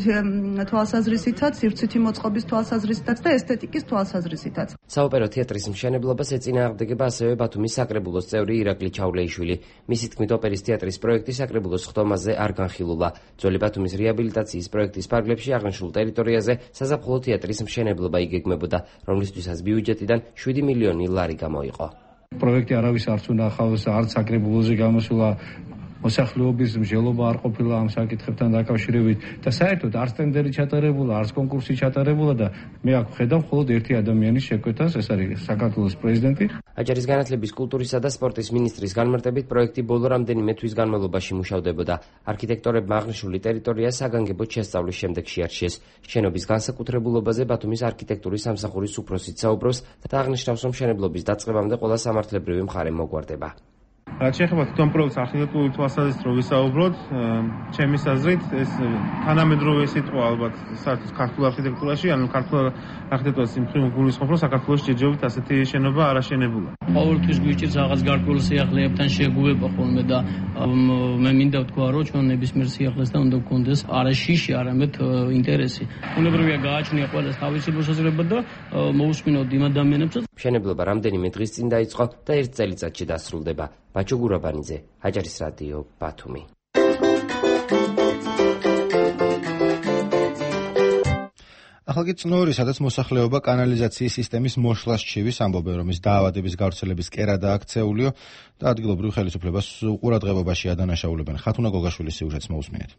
თვალსაზრისითაც, სივრცითი მოწყობის თვალსაზრისითაც და ესთეტიკის თვალსაზრისითაც. საოპერო თეატრის მშენებლობას ეწინააღმდეგება ასევე ბათუმის საკრებულოს წევრი ირაკლი ჩავლეიშვილი. მისი თქმით, ოპერის თეატრის პროექტი საკრებულოს ხტომაზე არ განხილულა. ძველი ბათუმის რეაბილიტაციის პროექტის პარკლებში აღნიშნულ ტერიტორიაზე საზაფხულო თეატრის მშენებლობა იგეგმებოდა, რომლისთვისაც ბიუჯეტიდან შვიდი მილიონი ლარი გამოიყო. პროექტი არავის არც უნახავს, არც საკრებულოზე გამოსულა, მოსახლეობის მსჯელობა არ ყოფილა ამ საკითხებთან დაკავშირებით და საერთოდ არც ტენდერი ჩატარებულა, არც კონკურსი ჩატარებულა და მე აქ ვხედავ მხოლოდ ერთი ადამიანის შეკვეთას, ეს არის საქართველოს პრეზიდენტი. აჭარის განათლების, კულტურისა და სპორტის მინისტრის განმარტებით პროექტი ბოლო რამდენიმე თვის განმავლობაში მუშავდებოდა. არქიტექტორებმა აღნიშნული ტერიტორია საგანგებოდ შესწავლის შემდეგ შეარჩიეს. შენობის განსაკუთრებულობაზე ბათუმის არქიტექტურის სამსახურის უფროსიც საუბრობს და აღნიშნავს, რომ მშენებლობის დაწყებამდე ყველა სამართლებრივი მხარე მოგვარდება. რაც შეეხება თვითონ პროექტს არქიტექტურული თვალსაზრისით რო ვისაუბროთ, ჩემის აზრით ეს თანამედროვე სიტყვა ალბათ საერთოდ ქართულ არქიტექტურაში, ანუ ქართულ არქიტექტურას იმ მხრივ გულისხმობ, რომ საქართველოს ჯერჯერობით ასეთი შენობა არ აშენებულა. ყოველთვის გვიჭირს რაღაც გარკვეულ სიახლეებთან შეგუება ხოლმე და მე მინდა ვთქვა, რომ ჩვენ ნებისმიერ სიახლესთან უნდა გქონდეს არა შიში, არამედ ინტერესი. უნებრივია გააჩნია ყველას თავისი მოსაზრება და მოусმინოთ იმ ადამიანებსაც. მშენებლობა რამდენიმე დღის წინ დაიწყო და ერთ წელიწადში დასრულდება. ბაჩო გურაბანიძე, აჭარის რადიო, ბათუმი. ახალ წნორი, სადაც მოსახლეობა კანალიზაციის სისტემის მოშლას ჩივის ამბობენ, რომ ის დაავადების გავრცელების კერადა აქცეულიო და ადგილობრივ ხელისუფლებას ყურადღებობაში ადანაშაულებენ. ხათუნა გოგაშვილის სიუჟეტს მოусმინეთ.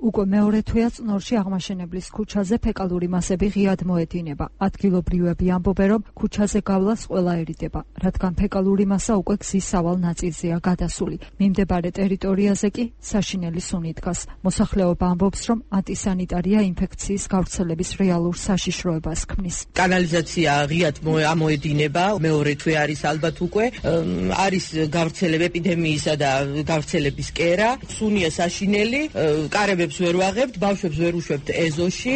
უკვე მეორე თვეა წნორში აღმაშენებლის ქუჩაზე ფეკალური მასები ღიად მოედინება. ადგილობრივები ამბობენ, რომ ქუჩაზე გავლას ყველა ერიდება, რადგან ფეკალური მასა უკვე გზის სავალ ნაწილზეა გადასული. მიმდებარე ტერიტორიაზე კი საშინელი სუნი დგას. მოსახლეობა ამბობს, რომ ანტისანიტარია ინფექციის გავრცელების რეალურ საშიშროებას ქმნის. კანალიზაცია ღიად ამოედინება, მეორე თვე არის ალბათ უკვე, არის გავრცელება ეპიდემიისა და გავრცელების კერა, სუნია საშინელი, კარებებს ვერ ვაღებთ, ბავშვებს ვერ უშვებთ ეზოში.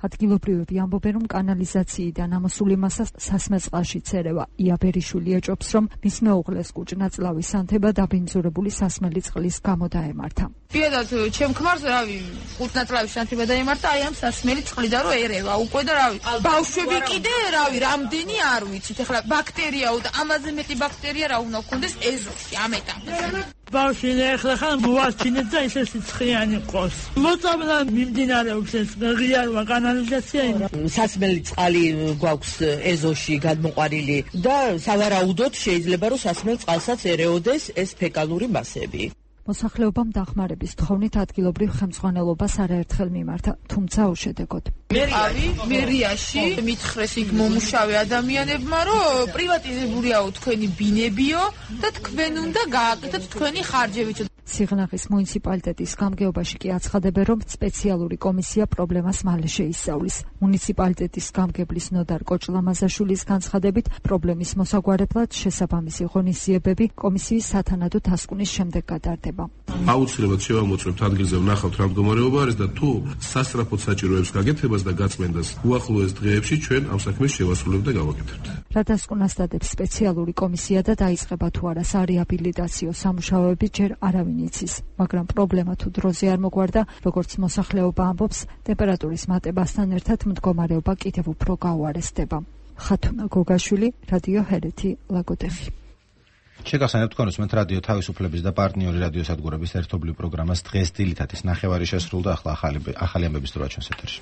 ადგილობრივები ამბობენ, რომ კანალიზაციიდან ამოსული მასა სასმელ წყალში წერევა. იაბერიშვილი ეჭობს, რომ მის მეუღლეს კუჭნაწლავის ანთება დაბინძურებული სასმელი წყლის გამო დაემართა. პირადად ჩემ ქმარს რავი კუჭნაწლავის ანთება დაემართა აი ამ სასმელი წყლიდან რომ ერევა უკვე და რავი ბავშვები კიდე რავი რამდენი არ ვიცით ეხლა ბაქტერიაო და ამაზე მეტი ბაქტერია რა უნდა გქონდეს ეზოში ამ ეტაპზე ბავშვი ეხლა ხან მოასჩინეთ და ისე სიცხიანი ყოს მოწამლა მიმდინარეობს ეს ღიარვა კანალიზაცია სასმელი წყალი გვაქვს ეზოში გადმოყვანილი და სავარაუდოდ შეიძლება რომ სასმელ წყალსაც ერეოდეს ეს ფეკალური მასები. მოსახლეობამ დახმარების თხოვნით ადგილობრივ ხელმძღვანელობას არაერთხელ მიმართა, თუმცა უშედეგოდ. მერიაში, მერიაში მითხრეს იქ მომუშავე ადამიანებმა, რომ პრივატიზებულია თქვენი ბინებიო და თქვენ უნდა გააკეთოთ თქვენი ხარჯებიც. სიღნაღის მუნიციპალიტეტის გამგეობაში კი აცხადებენ, რომ სპეციალური კომისია პრობლემას მალე შეისწავლის. მუნიციპალიტეტის გამგებლის ნოდარ კოჭლამაზაშვილის განცხადებით, პრობლემის მოსაგვარებლად შესაბამისი ღონისძიებები კომისიის სათანადო დასკვნის შემდეგ გადარდება. აუცილებლად შევამოწმებთ ადგილზე ვნახავთ რა მდგომარეობა არის და თუ სასწრაფოდ საჭიროებს გაკეთებას და გაწმენდას უახლოეს დღეებში ჩვენ ამ საქმეს შევასრულებთ და გავაკეთებთ. რა დასკვნას დადებს სპეციალური კომისია და დაიწყება თუ არა სარეაბილიტაციო სამუშაოები ჯერ არავინ იცის, მაგრამ პრობლემა თუ დროზე არ მოგვარდა, როგორც მოსახლეობა ამბობს, ტემპერატურის მატებასთან ერთად მდგომარეობა კიდევ უფრო გაუარესდება. ხათუნა გოგაშვილი, რადიო ჰერეთი, ლაგოდეხი. შეგახსენებთ თქვენ უსმენთ რადიო თავისუფლების და პარტნიორი რადიოსადგურების ერთობლივ პროგრამას დღეს დილითათის ნახევარი შესრულდა, ახლა ახალი ახალი ამბების დროა ჩვენს ეთერში.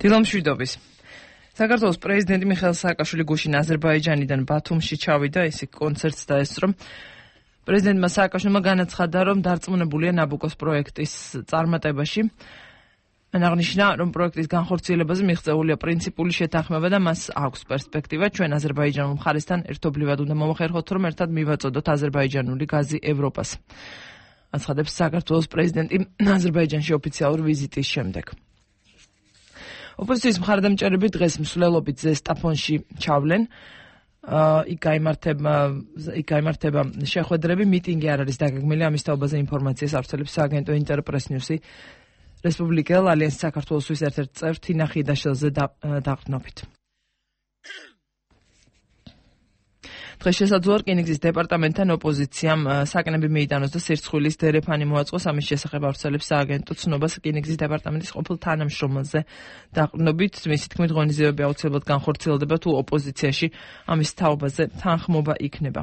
დილომშვიდობის. საქართველოს პრეზიდენტი მიხეილ სააკაშვილი გუშინ აზერბაიჯანიდან ბათუმში ჩავიდა, ის კონცერტს დაესწრო. პრეზიდენტმა სააკაშვილმა განაცხადა, რომ დარწმუნებულია ნაბუკოს პროექტის წარმატებაში. მან აღნიშნა, რომ პროექტის განხორციელებაზე მიღწეულია პრინციპული შეთანხმება და მას აქვს პერსპექტივა. ჩვენ აზერბაიჯანულ მხარესთან ერთობლივად უნდა მომხერხოთ, რომ ერთად მივაწოდოთ აზერბაიჯანული გაზი ევროპას. აცხადებს საქართველოს პრეზიდენტი აზერბაიჯანში ოფიციალურ ვიზიტის შემდეგ. ოპოზიციის მხარდამჭერები დღეს მსვლელობით ზესტაფონში ჩავლენ. იქ გაიმართება იქ გაიმართება შეხვედრები, მიტინგი არ არის დაგეგმილი, ამის თაობაზე ინფორმაციას ავრცელებს სააგენტო ინტერპრეს ნიუსი რესპუბლიკელ ალიანსის საქართველოსთვის ერთ-ერთ წევრ თინა ხიდაშელზე დაყრდნობით. დღეს შესაძლოა რკინიგზის დეპარტამენტთან ოპოზიციამ საკნები მიიტანოს და სირცხვილის დერეფანი მოაწყოს, ამის შესახებ ავრცელებს სააგენტო ცნობას რკინიგზის დეპარტამენტის ყოფილ თანამშრომელზე დაყრდნობით. მისი თქმით, ღონისძიებები აუცილებლად განხორციელდება, თუ ოპოზიციაში ამის თაობაზე თანხმობა იქნება.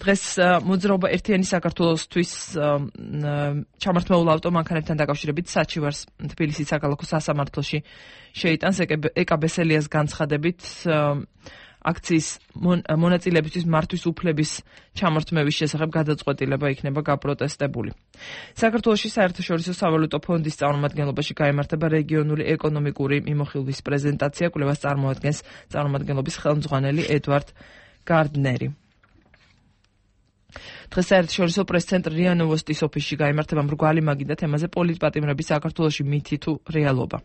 დღეს მოძრაობა ერთიანი საქართველოსთვის ჩამართმეულ ავტომანქანებთან დაკავშირებით საჩივარს თბილისის საქალაქო სასამართლოში შეიტანს. ეკა ბესელიას განცხადებით აქციის მონაწილეებისთვის მართვის უფლების ჩამორთმევის შესახებ გადაწყვეტილება იქნება გაპროტესტებული. საქართველოში საერთაშორისო სავალუტო ფონდის წარმომადგენლობაში გაიმართება რეგიონული ეკონომიკური მიმოხილვის პრეზენტაცია, კვლევას წარმოადგენს წარმომადგენლობის ხელმძღვანელი ედვარდ გარდნერი. დღეს საერთაშორისო პრეს-ცენტრ რია ნოვოსტის ოფისში გაიმართება მრგვალი მაგიდა თემაზე პოლიტპატიმრები საქართველოში მითი თუ რეალობა.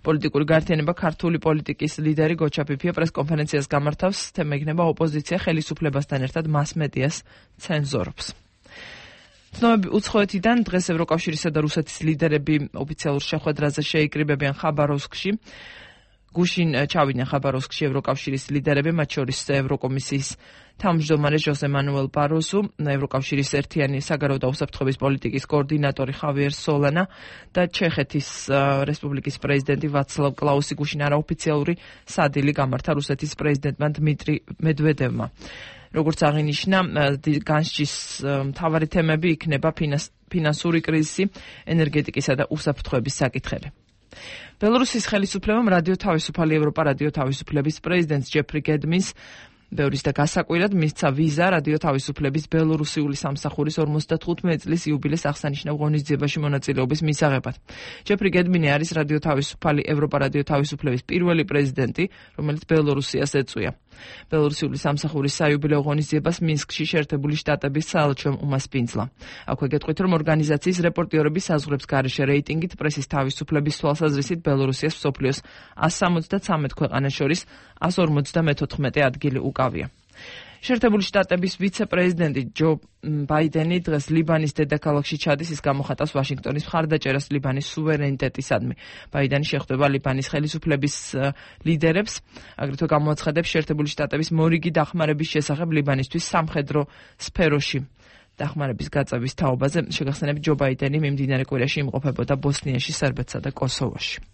პოლიტიკური გაერთიანება ქართული პოლიტიკის ლიდერი გოჩა ფიფია პრესკონფერენციას გამართავს, თემა იქნება ოპოზიცია ხელისუფლებასთან ერთად მას-მედიას ცენზორობს. ცნობები უცხოეთიდან დღეს ევროკავშირისა და რუსეთის ლიდერები ოფიციალურ შეხვედრაზე შეიკრიბებიან ხაბაროვსკში. გუშინ ჩავიდნენ ხაბაროვსკში ევროკავშირის ლიდერები, მათ შორის ევროკომისიის თავმჯდომარე ჟოზე მანუელ ბაროზუ, ევროკავშირის ერთიანი საგარეო და უსაფრთხოების პოლიტიკის კოორდინატორი ხავიერ სოლანა და ჩეხეთის რესპუბლიკის პრეზიდენტი ვაცლავ კლაუსი. გუშინ არაოფიციალური სადილი გამართა რუსეთის პრეზიდენტმა დმიტრი მედვედევმა. როგორც აღინიშნა, განსჯის მთავარი თემები იქნება ფინანსური კრიზისი, ენერგეტიკისა და უსაფრთხოების საკითხები. ბელორუსის ხელისუფლებამ რადიო თავისუფალი ევროპა რადიო თავისუფლების პრეზიდენტს ჯეფრი გედმინს ბევრის და გასაკვირად მისცა ვიზა რადიო თავისუფლების ბელორუსიული სამსახურის ორმოცდათხუთმეტი წლის იუბილეს აღსანიშნავ ღონისძიებაში მონაწილეობის მისაღებად. ჯეფრი გედმინი არის რადიო თავისუფალი ევროპა რადიო თავისუფლების პირველი პრეზიდენტი, რომელიც ბელორუსიას ეწვია. ბელორუსიული სამსახურის საიუბილეო ღონისძიებას მინსკში შეერთებული შტატების საელჩომ უმასპინძლა. აქვე გეტყვით, რომ ორგანიზაციის რეპორტიორების საზღვრებს გარეშე რეიტინგით პრესის თავისუფლების თვალსაზრისით ბელორუსიას მსოფლიოს ას სამოცდათრამეტ ქვეყანას შორის ას ორმოცდამოთხმეტე ადგილი უკავია. შეერთებული შტატების ვიცე-პრეზიდენტი ჯო ბაიდენი დღეს ლიბანის დედაქალაქში ჩადის, ის გამოხატავს ვაშინგტონის მხარდაჭერას ლიბანის სუვერენიტეტისადმი. ბაიდენი შეხვდება ლიბანის ხელისუფლების ლიდერებს, აგრეთვე გამოაცხადებს შეერთებული შტატების მორიგი დახმარების შესახებ ლიბანისთვის სამხედრო სფეროში. დახმარების გაწევის თაობაზე შეგახსენებით, ჯო ბაიდენი მიმდინარე კვირაში იმყოფებოდა ბოსნიაში, სერბეთსა და კოსოვოში.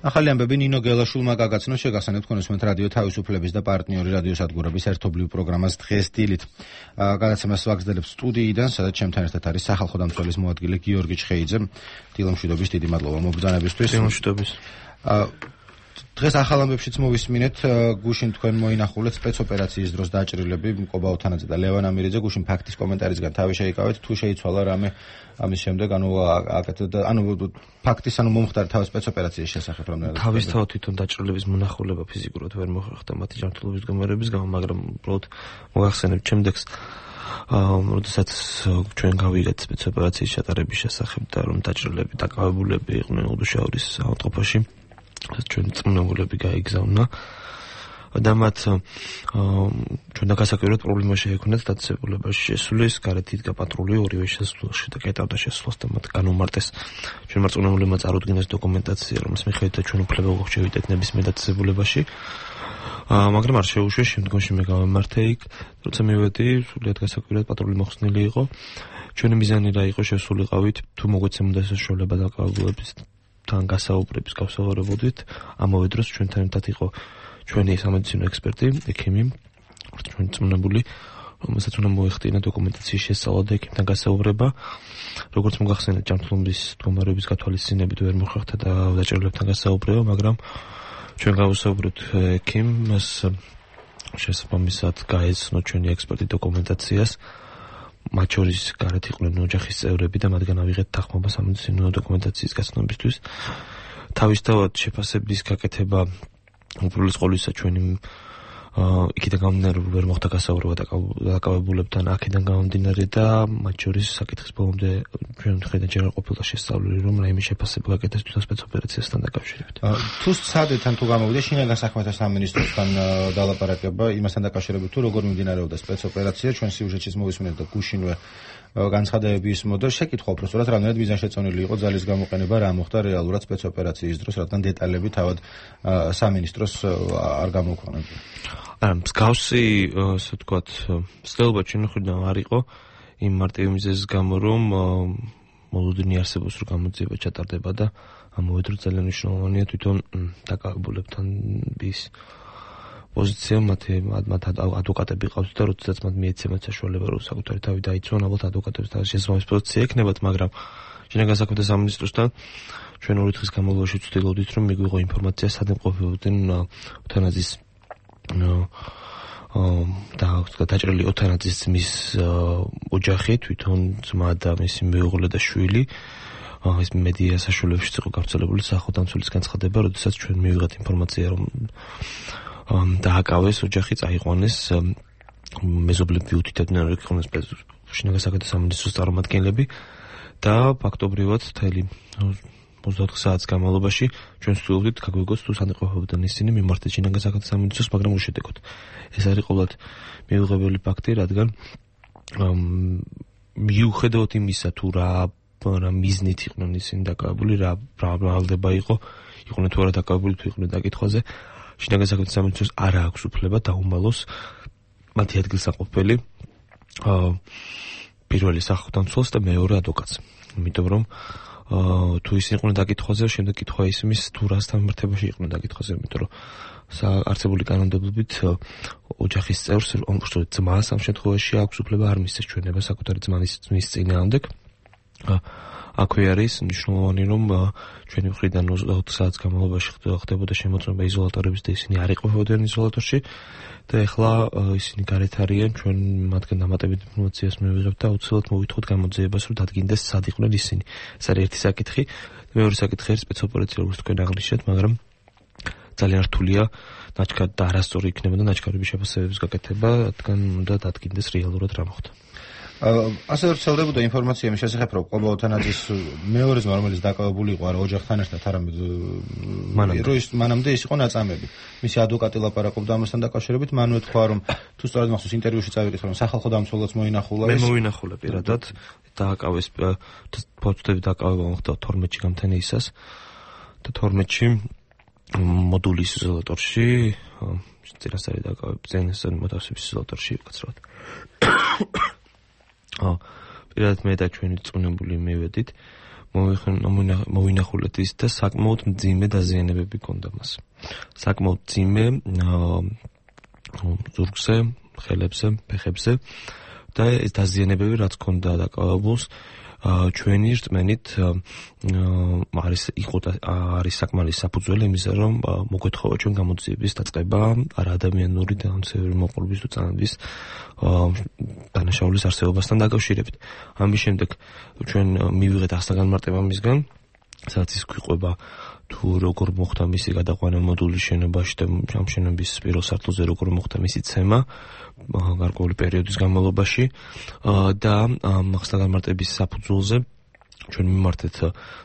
ახალი ამბები ნინო გელაშვილმა გაგაცნო, შეგახსენებთ კონსუმენტ რადიო თავისუფლების და პარტნიორი რადიო სადგურების ერთობლივ პროგრამას დღეს დილით. გადაცემას ვაგრძელებს სტუდიიდან, სადაც ჩემთან ერთად არის სახალხო დამცველის მოადგილე გიორგი ჩხეიძე. დილომშვიდობის დიდი მადლობა მობრძანებისთვის. დილომშვიდობის. დღეს ახალ ამბებშიც მოვისმინეთ, გუშინ თქვენ მოინახულეთ სპეცოპერაციის დროს დაჭრილები მკობა ოთანაძე და ლევან ამირიძე. გუშინ ფაქტის კომენტარისგან თავი შეიკავეთ, თუ შეიცვალა რამე ამის შემდეგ, ანუ აკეთეთ ანუ ფაქტის ანუ მომხდარი თავის სპეცოპერაციის შესახებ რამდენად თავისთავად თვითონ დაჭრილების მონახულება ფიზიკურად ვერ მოხერხდა მათი ჯანმრთელობის მდგომარეობის გამო, მაგრამ უბრალოდ მოგახსენებთ ჩემდექს როდესაც ჩვენ გავიგეთ სპეცოპერაციის ჩატარების შესახებ და რომ დაჭრილები დაკავებულები იყვნენ უდუშაურის ავადმყოფოში, ჩვენ წმნებულები გაიგზავნა და მათ ჩვენ დაგასაკვირვებლად პრობლემა შეექმნათ დაწესებულებაში შესulis, გარეთ იდგა პატრული ორივე შესასვლელში და კეტავდა შესასვლელს და მათ განუმარტეს. ჩვენ მარწმუნებლებმა წარუდგინეს დოკუმენტაცია, რომლის მიხედვით ჩვენ უფლება გვაქვს ნებისმიერ დაწესებულებაში. მაგრამ არ შეუშვეს, შემდგომში მე გავემართე იქ, როცა მივედი, სულიად გასაკვირვებლად პატრული მოხსნილი იყო. ჩვენი მიზანი რა იყო, შესულიყავით, თუ მოგვეცემოდა საშუალება დაკავებულების თან გასაუბრების გავსაუბრებოდით, ამავე დროს ჩვენთან ერთად იყო ჩვენი სამედიცინო ექსპერტი, ექიმი, ჩვენ წმნებული, რომელსაც უნდა მოეხდინა დოკუმენტაციის შესწავლა და ექიმთან გასაუბრება. როგორც მოგახსენეთ, ჯანმრთელობის მდგომარეობის გათვალისწინებით ვერ მოხერხდა და დაჭერლებთან გასაუბრება, მაგრამ ჩვენ გავუსაუბროთ ექიმს, შესაბამისად გაეცნო ჩვენი ექსპერტი დოკუმენტაციას. მათ შორის გარეთ იყვნენ ოჯახის წევრები და მათგან ავიღეთ თანხმობა სამედიცინო დოკუმენტაციის გაცნობისთვის. თავისთავად შეფასების გაკეთება უპირველეს ყოვლისა ჩვენი იქიდან გამომდინარე ვერ მოხდა გასაუბრება დაკავებულებთან აქედან გამომდინარე და მათ შორის საკითხის ბოლომდე ჩვენ მხრიდან ჯერ არ ყოფილა შესწავლილი, რომ რაიმე შეფასება გაკეთდეს თვითონ სპეცოპერაციასთან დაკავშირებით. თუ სცადეთ თუ გამოვიდა შინაგან საქმეთა სამინისტროსთან დალაპარაკება იმასთან დაკავშირებით, თუ როგორ მიმდინარეობდა სპეცოპერაცია, ჩვენ სიუჟეტშიც მოვისმინეთ და გუშინვე განცხადებები ისმოდა, შეკითხვა უბრალოდ რამდენად მიზანშეწონილი იყო ძალის გამოყენება, რა მოხდა რეალურად სპეცოპერაციის დროს, რადგან დეტალები თავად სამინისტროს არ გამოქვეყნებია. არა, მსგავსი, ასე ვთქვათ, ცდილობა ჩვენი მხრიდან არ იყო იმ მარტივი მიზეზის გამო, რომ მოლოდინი არსებობს, რომ გამოძიება ჩატარდება და ამავე დროს ძალიან მნიშვნელოვანია თვითონ დაკავებულებთან ის პოზიცია, მათ ადვოკატები ყავთ და როდესაც მათ მიეცემათ საშუალება, რომ საკუთარი თავი დაიცვან, ალბათ ადვოკატებს თავის შესაბამისი პოზიცია ექნებათ, მაგრამ შინაგან საქმეთა სამინისტროსთან ჩვენ ორი დღის განმავლობაში ვცდილობდით, რომ მიგვიღო ინფორმაცია, სად იმყოფებოდნენ ევთანაზის და დაჭრილი ევთანაზის ძმის ოჯახი, თვითონ ძმა და მისი მეუღლე და შვილი. ეს მედია საშუალებაშიც იყო გავრცელებული სახელმწიფოს განცხადება, როდესაც ჩვენ მივიღეთ ინფორმაცია, რომ დააკავეს ოჯახი, წაიყვანეს მეზობლები უთითებდნენ, რომ იყვნენ შინაგან საქმეთა სამინისტროს წარმომადგენლები და ფაქტობრივად მთელი ოცდაოთხ საათის განმავლობაში ჩვენ ვცდილობდით გაგვიგოს თუ სად იყოფებოდნენ ისინი მიმართეთ შინაგან საქმეთა სამინისტროს, მაგრამ უშედეგოდ. ეს არის ყოველად მიუღებელი ფაქტი, რადგან მიუხედავად იმისა, თუ რა რა მიზნით იყვნენ ისინი დაკავებული, რა ბრალდება იყო, იყვნენ თუ არა დაკავებული, თუ იყვნენ დაკითხვაზე, შინაგან საქმეთა სამინისტროს არ აქვს უფლება დაუმალოს მათი ადგილსამყოფელი პირველი სახელმწიფოს და მეორე ადვოკატს. იმიტომ რომ თუ ისინი იყვნენ დაკითხვაზე, შემდეგ კითხვა ისმის თუ რასთან მიმართებაში იყვნენ დაკითხვაზე, იმიტომ რომ არსებული კანონმდებლობით ოჯახის წევრს, ომბრწოდ ძმას ამ შემთხვევაში აქვს უფლება არ მისცეს ჩვენება საკუთარი ძმის ძმის წინააღმდეგ. აქვე არის მნიშვნელოვანი, რომ ჩვენი მხრიდან ოცდაოთხ საათის განმავლობაში ხდებოდა შემოწმება იზოლატორების და ისინი არ იყვებოდნენ იზოლატორში და ეხლა ისინი გარეთ არიან, ჩვენ მათგან დამატებით ინფორმაციას მივიღებთ და აუცილებლად მოვითხოვთ გამოძიებას, რომ დადგინდეს სად იყვნენ ისინი. ეს არის ერთი საკითხი. მეორე საკითხი არის სპეცოპერაცია, როგორც თქვენ აღნიშნეთ, მაგრამ ძალიან რთულია ნაჩქარ და არასწორი იქნება და ნაჩქარების შეფასებების გაკეთება, რადგან უნდა დადგინდეს რეალურად რა მოხდა. ასე ვრცელდებოდა ინფორმაცია იმის შესახებ, რომ ყობა ოთანაძის მეორე ძმა, რომელიც დაკავებული იყო არა ოჯახთან ერთად, არამედ მანამდე ის იყო ნაწამები. მისი ადვოკატი ლაპარაკობდა ამასთან დაკავშირებით, მან უთქვა, რომ თუ სწორად მახსოვს ინტერვიუში წავიკითხე, რომ სახალხო დამცველიც მოინახულა ეს. მე მოინახულა პირადად, დააკავეს ფოტოები დაკავება მოხდა თორმეტში გამთენეისას და თორმეტში მოდულის იზოლატორში, წინასწარი დაკავების წინასწარი მოთავსების იზოლატორში უკაცრავად. აა პირადად მე და ჩვენი წუნებული მივედით, მოვინახულეთ ის და საკმაოდ მძიმე დაზიანებები ჰქონდა მას. საკმაოდ მძიმე ზურგზე, ხელებზე, ფეხებზე და ეს დაზიანებები რაც ჰქონდა დაკავებულს ჩვენი რწმენით არის იყო და არის საკმარის საფუძველი იმისა, რომ მოგვეთხოვა ჩვენ გამოძიების დაწყება არა ადამიანური და ამცევრი მოყოლების თუ წამების დანაშაულის არსებობასთან დაკავშირებით. ამის შემდეგ ჩვენ მივიღეთ ახსნა-განმარტება მისგან, სადაც ის გვიყვება თუ როგორ მოხდა მისი გადაყვანა მოდულის შენობაში და ამ შენობის პირველ სართულზე როგორ მოხდა მისი ცემა გარკვეული პერიოდის განმავლობაში და ახსნა-განმარტების საფუძველზე ჩვენ მიმართეთ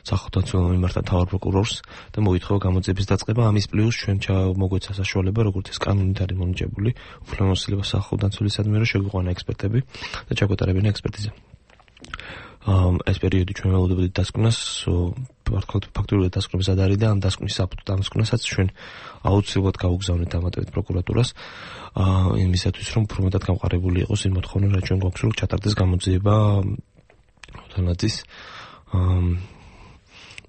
სახელმწიფო მიმართა მთავარ პროკურორს და მოითხოვა გამოძიების დაწყება. ამის პლუს ჩვენ მოგვეცა საშუალება, როგორც ეს კანონით არის მონიჭებული, უფლებამოსილება სახელმწიფოსადმი, რომ შეგვიყვანა ექსპერტები და ჩაგვეტარებინა ექსპერტიზა. ეს პერიოდი ჩვენ ველოდებოდით დასკვნას, ფაქტობრივად დასკვნების ად არის და ამ დასკვნის საფუძვლად დამსკვნასაც ჩვენ აუცილებლად გავუგზავნეთ დამატებით პროკურატურას იმისათვის, რომ უფრო მეტად გამყარებული იყოს იმ მოთხოვნა, რაც ჩვენ გვაქვს, რომ ჩატარდეს გამოძიება ოთანაძის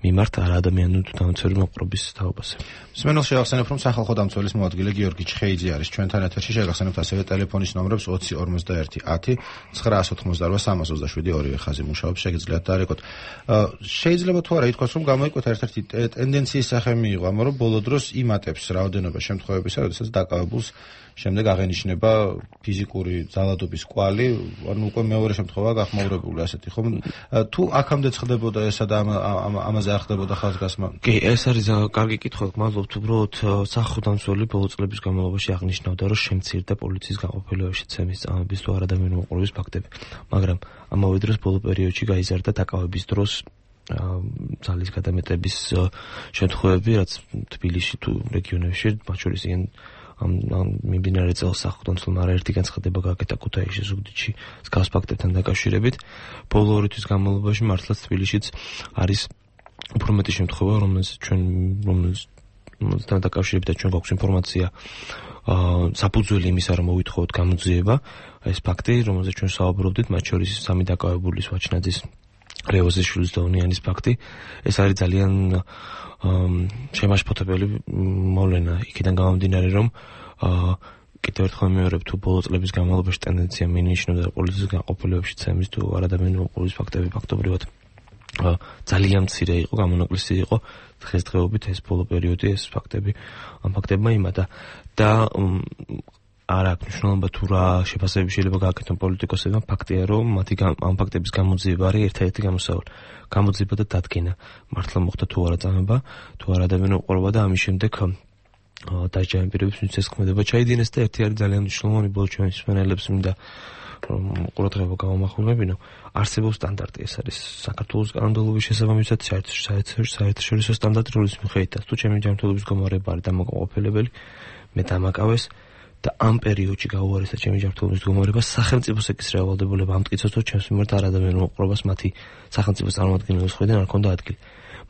მიმართ არაადამიანური თუ დამცველი მოყრობის თაობაზე. მსმენელს შევახსენებ, რომ სახალხო დამცველის მოადგილე გიორგი ჩხეიძე არის ჩვენთან ეთერში. შევახსენებთ ასევე ტელეფონის ნომრებს ოცი ორმოცდაერთი ათი ცხრაას ოთხმოცდაოთხ სამას ოცდაშვიდი ორივე ხაზი მუშაობს, შეგიძლიათ დაარეკოთ. შეიძლება თუ არა ითქვას, რომ გამოიკვეთა ერთ-ერთი ტენდენციის სახე მიიღო, ამიტომ რომ ბოლო დროს იმატებს რაოდენობა შემთხვევებისა, როდესაც დაკავებულს შემდეგ აღენიშნება ფიზიკური ძალადობის კვალი, ანუ უკვე მეორე შემთხვევა გახმაურებული ასეთი, ხომ? თუ აქამდე ხდებოდა ესა და ამაზე არ ხდებოდა ხაზგასმა? კი, ეს არის კარგი კითხვა, მადლობთ, უბრალოდ სახალხო დამცველი ბოლო წლების განმავლობაში აღნიშნავდა, რომ შემცირდა პოლიციის გაყოფილებაში ცემის წამების თუ არადამიანური მოყოლების ფაქტები. მაგრამ ამავე დროს ბოლო პერიოდში გაიზარდა დაკავების დროს ძალის გადამეტების შემთხვევები, რაც თბილისში თუ რეგიონებში, მათ შორის ilyen ამ მიმდინარე წელს სახალხო დამცველმა არაერთი განცხადება გააკეთა ქუთაისში, ზუგდიდში, მსგავს ფაქტებთან დაკავშირებით. ბოლო ორი თვის განმავლობაში მართლაც თბილისშიც არის უფრო მეტი შემთხვევა, რომელსაც ჩვენ რომელთან დაკავშირებით ჩვენ გვაქვს ინფორმაცია საფუძველი იმისა, რომ მოვითხოვოთ გამოძიება, ეს ფაქტი, რომელზეც ჩვენ საუბრობდით, მათ შორის სამი დაკავებულის ვაჩნაძის, რევოზიშვილის და ონიანის ფაქტი. ეს არის ძალიან შემაშფოთებელი მოვლენა იქიდან გამომდინარე, რომ კიდევ ერთხელ ვიმეორებ, თუ ბოლო წლების განმავლობაში ტენდენცია მინიშნავდა პოლიციის გაყოფილებაში ცემის თუ არადამიანური მოყოლების ფაქტები ფაქტობრივად ძალიან მცირე იყო, გამონაკლისი იყო. დღესდღეობით ეს ბოლო პერიოდი ეს ფაქტები ამ ფაქტებმა იმატა და არ აქვს მნიშვნელობა თუ რა შეფასებები შეიძლება გააკეთონ პოლიტიკოსებმა, ფაქტია, რომ მათი ამ ფაქტების გამოძიება არის ერთ-ერთი გამოსავალი. გამოძიება და დადგენა, მართლა მოხდა თუ არა წამება, თუ არა ადამიანური მოყოლება და ამის შემდეგ დასჯამი პირების მიწეს ქმედება ჩაიდინეს და ერთი არის ძალიან მნიშვნელოვანი ბოლო ჩვენი მსმენელებს მინდა ყურადღება გავამახვილებინო. არსებობს სტანდარტი, ეს არის საქართველოს კანონმდებლობის შესაბამისად საერთაშორისო სტანდარტი, რომლის მიხედვითაც თუ ჩემი ჯანმრთელობის გამარება არის დამაკმაყოფილებელი, მე დამაკავეს და ამ პერიოდში გაუარესდა ჩემი ჯანმრთელობის მდგომარეობა, სახელმწიფოს ეკისრება ვალდებულება ამტკიცოს, რომ ჩემს მიმართ არადამიანურ მოყოლებას მათი სახელმწიფოს წარმომადგენლების მხრიდან არ ჰქონდა ადგილი.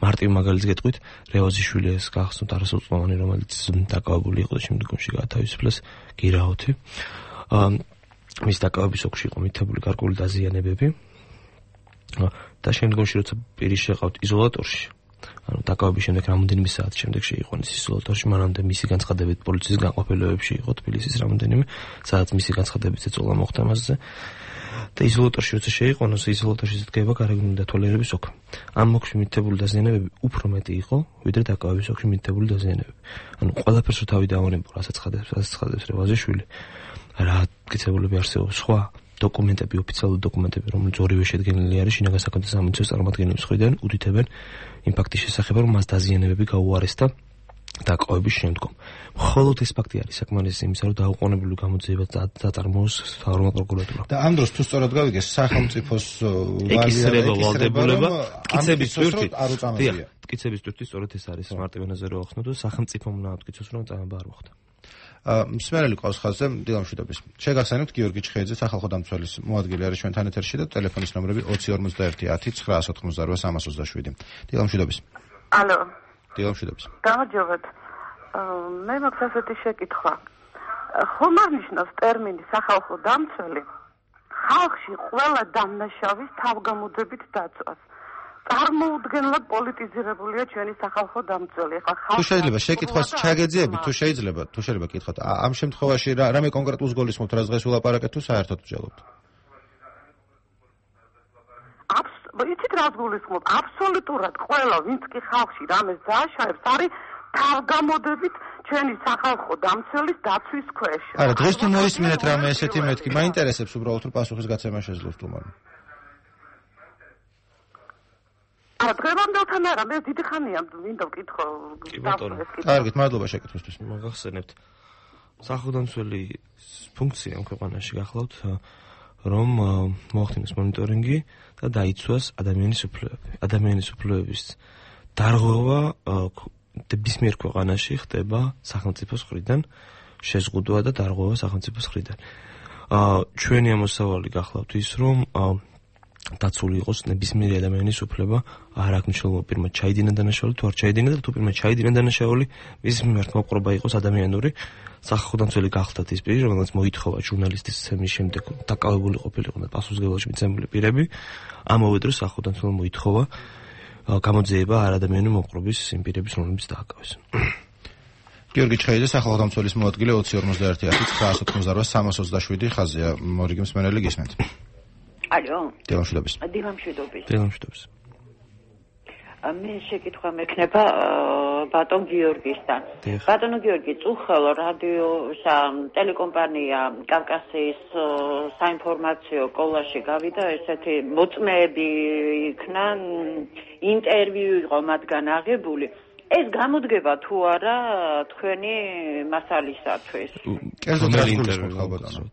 მარტივ მაგალითს გეტყვით, რევოზიშვილი ეს გახსნათ არასრულწლოვანი, რომელიც დაკავებული იყო და შემდგომში გაათავისუფლეს გირაოთი. მის დაკავების ოკში იყო მითებული გარკვეული დაზიანებები და შემდგომში როცა პირი შეყავთ იზოლატორში, ანუ დაკავების შემდეგ რამოდენიმე საათი შემდეგ შეიყვანეს იზოლატორში, მანამდე მისი განცხადებით პოლიციის განყოფილებებში იყო თბილისის რამოდენიმე, სადაც მისი განცხადებით ეწოლა მოხდა მასზე და იზოლატორში როცა შეიყვანოს, იზოლატორში დგება გარეგნული დათვალიერების ოქრო. ამ ოქში მითითებული დაზიანებები უფრო მეტი იყო, ვიდრე დაკავების ოქში მითითებული დაზიანებები. ანუ ყველაფერს რო თავი დავანებო, რასაც ხადებს, რასაც ხადებს რევაზიშვილი, რა მტკიცებულები არსებობს, სხვა დოკუმენტები, ოფიციალური დოკუმენტები, რომელიც ორივე შედგენილი არის შინაგან საქმეთა სამინისტროს წარმომადგენლების მხრიდან, უდიდებენ იმ ფაქტის შესახებ, რომ მას დაზიანებები გაუარესდა დაკავების შემდგომ. მხოლოდ ეს ფაქტი არის საკმარისი იმისა, რომ დაუყოვნებლივ გამოძიება დაწარმოოს მთავრობა პროკურატურა. და ამ დროს თუ სწორად გავიგეს, სახელმწიფოს ვალდებულება ვალდებულება მტკიცების ტვირთით არ უწამაზია. მტკიცების ტვირთით სწორედ ეს არის მარტივენაზე რო ახსნო და სახელმწიფომ უნდა მტკიცოს, რომ წამება არ მოხდა. მსმენელი ყავს ხაზზე დილამშვიდობის. შეგახსენებთ გიორგი ჩხეიძე სახალხო დამცველის მოადგილე არის ჩვენთან ეთერში და ტელეფონის ნომრები ოცი ორმოცდაერთი ათი ცხრაას ოთხმოცდარვა სამას ოცდაშვიდი. დილამშვიდობის. ალო. დილამშვიდობის. გამარჯობათ. მე მაქვს ასეთი შეკითხვა. ხომ არ ნიშნავს ტერმინი სახალხო დამცველი ხალხში ყველა დამნაშავის თავგამოძებით დაწვას. წარმოუდგენლად პოლიტიზირებულია ჩვენი სახალხო დამცველი. ახლა ხალხი თუ შეიძლება შეკითხვას ჩაგეძიებით, თუ შეიძლება, თუ შეიძლება კითხოთ, ამ შემთხვევაში რა რამე კონკრეტულს გულისხმობთ, რაც დღეს ვილაპარაკეთ, თუ საერთოდ ვჯელობთ? იცით რას გულისხმობ? აბსოლუტურად ყველა, ვინც კი ხალხში რამეს დააშავებს, არის თავგამოდებით ჩვენი სახალხო დამცველის დაცვის ქვეშ. არა, დღეს თუ მოისმინეთ რამე ესეთი მეთქი, მაინტერესებს უბრალოდ რომ პასუხისგაცემა შეძლოს თუმცა. არა, დღევანდელთან არა, მე დიდი ხანია მინდა ვკითხო. კარგით, მადლობა შეკითხვისთვის. მოგახსენებთ. სახალხო დამცველი ფუნქცია ამ ქვეყანაში გახლავთ, რომ მოახდინოს მონიტორინგი და დაიცვას ადამიანის უფლებები. ადამიანის უფლებების დარღვევა ნებისმიერ ქვეყანაში ხდება სახელმწიფოს მხრიდან, შეზღუდვა და დარღვევა სახელმწიფოს მხრიდან. ჩვენი ამოსავალი გახლავთ ის, რომ დაცული იყოს ნებისმიერი ადამიანის უფლება, არ აქვს მნიშვნელობა პირმა ჩაიდინა დანაშაული თუ არ ჩაიდინა და თუ პირმა ჩაიდინა დანაშაული, მის მიმართ მოპყრობა იყოს ადამიანური. სახალხო დამცველი გახლავთ ის პირი, რომელსაც მოითხოვა ჟურნალისტის ცემის შემდეგ დაკავებული ყოფილიყო და პასუხისმგებლობაში მიცემული პირები, ამავე დროს სახალხო დამცველმა მოითხოვა გამოძიება არადამიანური მოპყრობის იმ პირების, რომლებიც დააკავეს. გიორგი ჩხეიძე სახალხო დამცველის მოადგილე ოცი ორმოცდაერთი ათი ცხრაას ოთხმოცდარვა სამას ოცდაშვიდი ხაზია. მორიგი მსმენელი გისმენთ. ალო. დილამშვიდობის. დილამშვიდობის. დილამშვიდობის. მე შეკითხვა მექნება ბატონ გიორგისთან. ბატონო გიორგი, წუხელ რადიო ტელეკომპანია კავკასიის საინფორმაციო კოლაში გავიდა ესეთი მოწმეები იქნა, ინტერვიუ იყო მათგან აღებული. ეს გამოდგება თუ არა თქვენი მასალისათვის? კერძოდ რა ინტერვიუ ბატონო?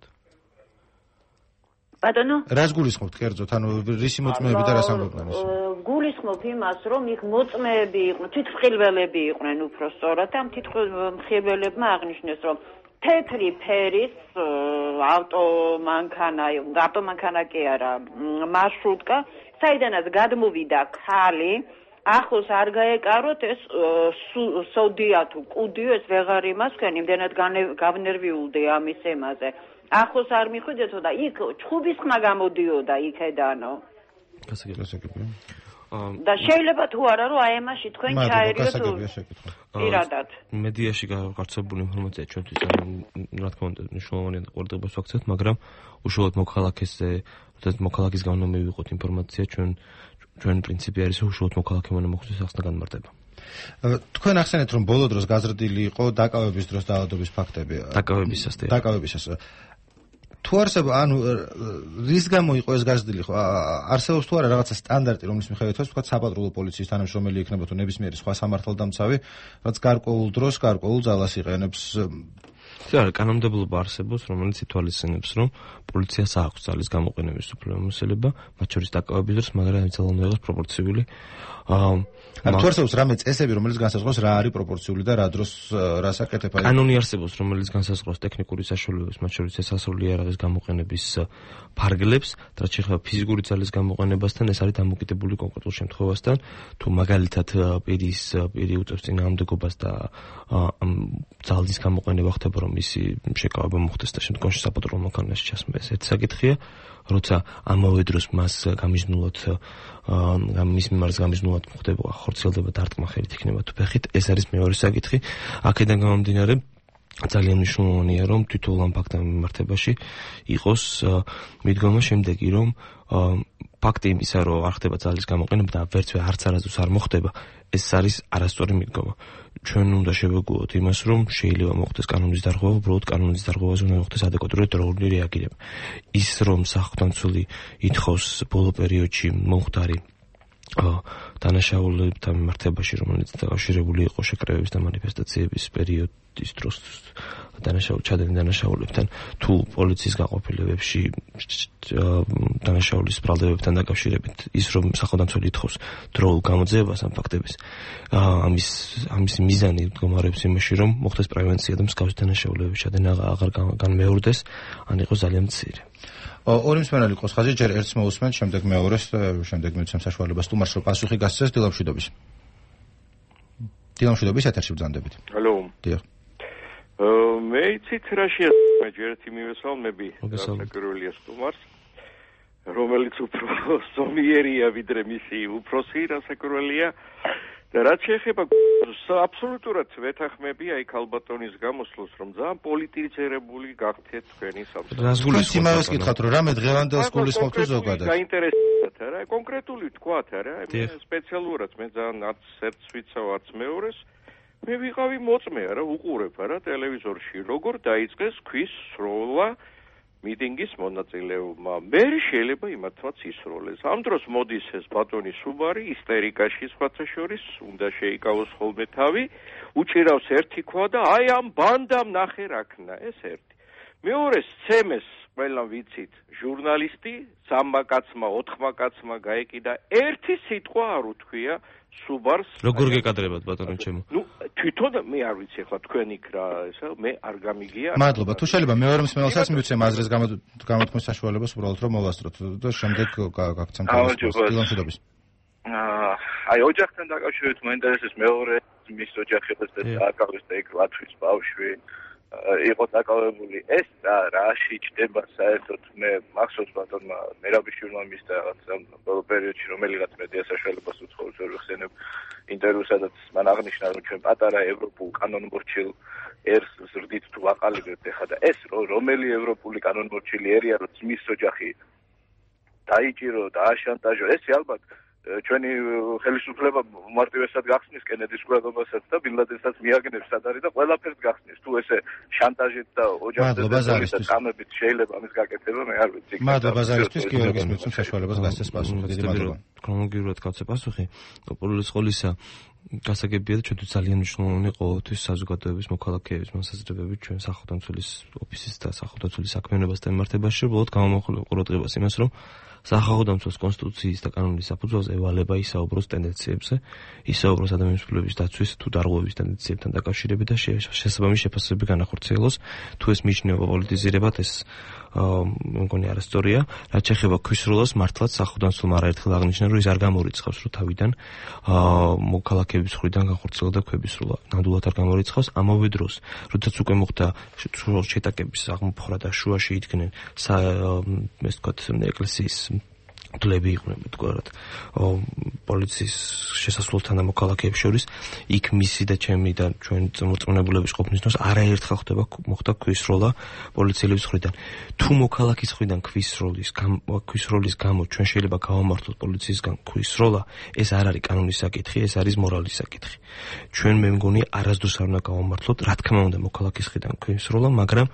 ბატონო? რას გულისხმობთ კერძოდ? ანუ რისი მოწმეები და რას ამბობდნენ ისინი? გულისხმობ იმას, რომ იქ მოწმეები იყვნენ, თვითმხილველები იყვნენ უფრო სწორად, ამ თვითმხილველებმა აღნიშნეს, რომ თეთრი ფერის ავტომანქანა, ავტომანქანა კი არა, მარშრუტკა, საიდანაც გადმოვიდა ქალი, ახლოს არ გაეკაროთ ეს სოდია თუ კუდიო, ეს ვეღარ იმასქენ, იმდენად გავნერვიულდი ამის ემაზე. ახლოს არ მიხვიდეთო და იქ ჩხუბის ხმა გამოდიოდა იქედანო. გასაგებია. და შეიძლება თუ არა რომ აი ამაში თქვენ ჩაერიოთ პირადად. მედიაში გავრცელებული ინფორმაცია ჩვენთვის რა თქმა უნდა მნიშვნელოვანია და ყურადღებას ვაქცევთ, მაგრამ უშუალოდ მოქალაქეზე, როდესაც მოქალაქის გამო მივიღოთ ინფორმაცია, ჩვენ ჩვენ პრინციპი არის რომ უშუალოდ მოქალაქე უნდა მოხდეს ახსნა განმარტება. თქვენ ახსენეთ რომ ბოლო დროს გაზრდილი იყო დაკავების დროს დაავადების ფაქტები. დაკავებისას და დაკავებისას. თუ არსებობს, ანუ რის გამო იყო ეს გაზრდილი ხო? არსებობს თუ არა რაღაცა სტანდარტი, რომლის მიხედვითაც თქვა საპატრულო პოლიციის თანამშრომელი იქნება თუ ნებისმიერი სხვა სამართალდამცავი, რაც გარკვეულ დროს, გარკვეულ ძალას იყენებს. არა, კანონმდებლობა არსებობს, რომელიც ითვალისწინებს, რომ პოლიციას აქვს ძალის გამოყენების უფლება, მათ შორის დაკავების დროს, მაგრამ ამ ძალა უნდა იყოს პროპორციული. ანუ თუ არსებობს რამე წესები, რომელიც განსაზღვრავს რა არის პროპორციული და რა დროს რას აკეთება? კანონი არსებობს, რომელიც განსაზღვრავს ტექნიკური საშუალებებს, მათ შორის შესასრული იარაღის გამოყენების ფარგლებს, რაც შეეხება ფიზიკური ძალის გამოყენებასთან, ეს არის დამოკიდებული კონკრეტულ შემთხვევასთან, თუ მაგალითად პირის პირი უწევს წინააღმდეგობას და ძალის გამოყენება ხდება, რომ ისი შეკავება მოხდეს და შემდგომში საპატრულო მოქალაქეში ჩასმა. ეს ერთი საკითხია, როცა ამავე დროს მას გამიზნულად მის მიმართ გამიზნულად ხდება ხორციელდება დარტყმა ხელით იქნება თუ ფეხით, ეს არის მეორე საკითხი. აქედან გამომდინარე ძალიან მნიშვნელოვანია რომ თვითონ ამ ფაქტთან მიმართებაში იყოს მიდგომა შემდეგი რომ ფაქტი იმისა რომ არ ხდება ძალის გამოყენება და ვერც არც არასდროს არ მოხდება ეს არის არასწორი მიდგომა ჩვენ უნდა შევეგუოთ იმას რომ შეიძლება მოხდეს კანონის დარღვევა უბრალოდ კანონის დარღვევაზე უნდა მოხდეს ადეკვატური დროული რეაგირება ის რომ სახელმწიფო ითხოვს ბოლო პერიოდში მომხდარი დანაშაულებთან მიმართებაში რომელიც დაკავშირებული იყო შეკრებების და მანიფესტაციების პერიოდის დროს დანაშაულ ჩადენილ დანაშაულებთან თუ პოლიციის გაყოფილებებში დანაშაულის ბრალდებებთან დაკავშირებით ის რომ სახელმწიფო ითხოვს დროულ გამოძიებას ამ ფაქტების ამის ამის მიზანი მდგომარეობს იმაში რომ მოხდეს პრევენცია და მსგავსი დანაშაულებების ჩადენა აღარ განმეორდეს ან იყოს ძალიან მცირე ორი მსმენელი იყოს ხაზი ჯერ ერთს მოусმენთ შემდეგ მეორეს შემდეგ მიცემ საშუალებას თუმარს რომ პასუხი გასცეს დილამშვიდობის დილამშვიდობის ეთერში ბრძანდებით ჰალო დიახ მე იცით რა შეასრულე ჯერ ერთი მივესალმები საკურველია სტუმარს რომელიც უფრო ზომიერია ვიდრე მისი უფროსი რასაკურველია და რაც შეეხება აბსოლუტურად ვეთანხმები აი ქალბატონის გამოსვლას რომ ძალიან პოლიტიზირებული გახდეთ თქვენი სამსახური. რა სიმაღლეს გითხათ რომ რამე დღევანდელს გულისხმობთ თუ ზოგადად? გაინტერესებათ არა კონკრეტული თქვათ არა მე სპეციალურად მე ძალიან არც ერთს ვიცავ არც მეორეს მე ვიყავი მოწმე არა უყურებ არა ტელევიზორში როგორ დაიწყეს ქვის სროლა მიტინგის მონაწილეობა. მე შეიძლება იმათაც ისროლეს. ამ დროს მოდის ეს ბატონი სუბარი ისტერიკაში სხვათა შორის უნდა შეიკავოს ხოლმე თავი, უჭირავს ერთი ქვა და აი ამ ბანდამ ნახე რაქნა, ეს ერთი. მეორე სცემეს ყველა ვიცით, ჟურნალისტი, სამმა კაცმა, ოთხმა კაცმა გაეკიდა ერთი სიტყვა არ უთქვია სუბარს. როგორ გეკადრებათ ბატონო ჩემო? ნუ თვითონ მე არ ვიცი ახლა თქვენ იქ რა ესა მე არ გამიგია. მადლობა. თუ შეიძლება მეორე მსმენელსაც მივცემ აზრის გამოთქმის საშუალებას უბრალოდ რომ მოვასწროთ და შემდეგ გაგცემ დილამშვიდობის. აა აი ოჯახთან დაკავშირებით მოინტერესებს მეორე მის ოჯახებას და აკავეს და იქ ლათვის ბავშვი იყო დაკავებული ეს რა შეჭდება საერთოდ მე მახსოვს ბატონმა მერაბიშვილმა მის და რაღაცა ბოლო პერიოდში რომელიღაც მედია საშუალებას უცხოებს ვერ ვხსენებ ინტერვიუს სადაც მან აღნიშნა რომ ჩვენ პატარა ევროპულ კანონმორჩილ ერს ზრდით თუ ვაყალიბებთ ეხლა და ეს რომელი ევროპული კანონმორჩილი ერია რომ მის ოჯახი დაიჭირო და აშანტაჟო ეს ალბათ ჩვენი ხელისუფლება მარტივესად გახსნის კენედის ყურადღებასაც და ბილადენსაც მიაგნებს სად არის და ყველაფერს გახსნის თუ ესე შანტაჟით და ოჯახის კამებით შეიძლება ამის გაკეთება მე არ ვიცი მადლობა ზარისთვის გიორგის მიცემ საშუალებას გასცეს პასუხი დიდი მადლობა ქრონოლოგიურად გავცე პასუხი პოლის ყოლისა გასაგებია და ჩვენთვის ძალიან მნიშვნელოვანი ყოველთვის საზოგადოების მოქალაქეების მოსაზრებები ჩვენ სახელმწიფოს ოფისის და სახელმწიფოს საქმიანობასთან მიმართებაში უბრალოდ გამომხვილ ყურადღებას იმას რომ სახელმწიფოს კონსტიტუციის და კანონის საფუძველზე ევალება ისაუბროს ტენდენციებზე, ისაუბროს ადამიანის უფლებების დაცვის თუ დარღვევის ტენდენციებთან დაკავშირებით და შესაბამისი შეფასებები განახორციელოს. თუ ეს მიიჩნევა პოლიტიზირებად, ეს მგონი არასწორია. რაც შეეხება ქვისროლას, მართლაც სახელმწიფომ არაერთხელ აღნიშნა, რომ ის არ გამორიცხავს, რომ თავიდან მოქალაქეების მხრიდან განხორციელდა ქვებისროლა. ნამდვილად არ გამორიცხავს. ამავე დროს, როდესაც უკვე მოხდა შეტაკების აღმოფხვრა და შუაში იდგნენ ეს თქვათ ეკლესიის დლები იყვნენ თქვათ პოლიციის შესასვლელთან და მოქალაქეებს შორის იქ მისი და ჩემი და ჩვენი მოწმენებულების ყოფნის დროს არაერთხელ ხდება მოხდა ქვისროლა პოლიციელების მხრიდან თუ მოქალაქის მხრიდან ქვისროლის ქვისროლის გამო ჩვენ შეიძლება გავამართლოთ პოლიციისგან ქვისროლა ეს არ არის კანონის საკითხი ეს არის მორალის საკითხი ჩვენ მე მგონი არასდროს არ უნდა გავამართლოთ რა თქმა უნდა მოქალაქის მხრიდან ქვისროლა მაგრამ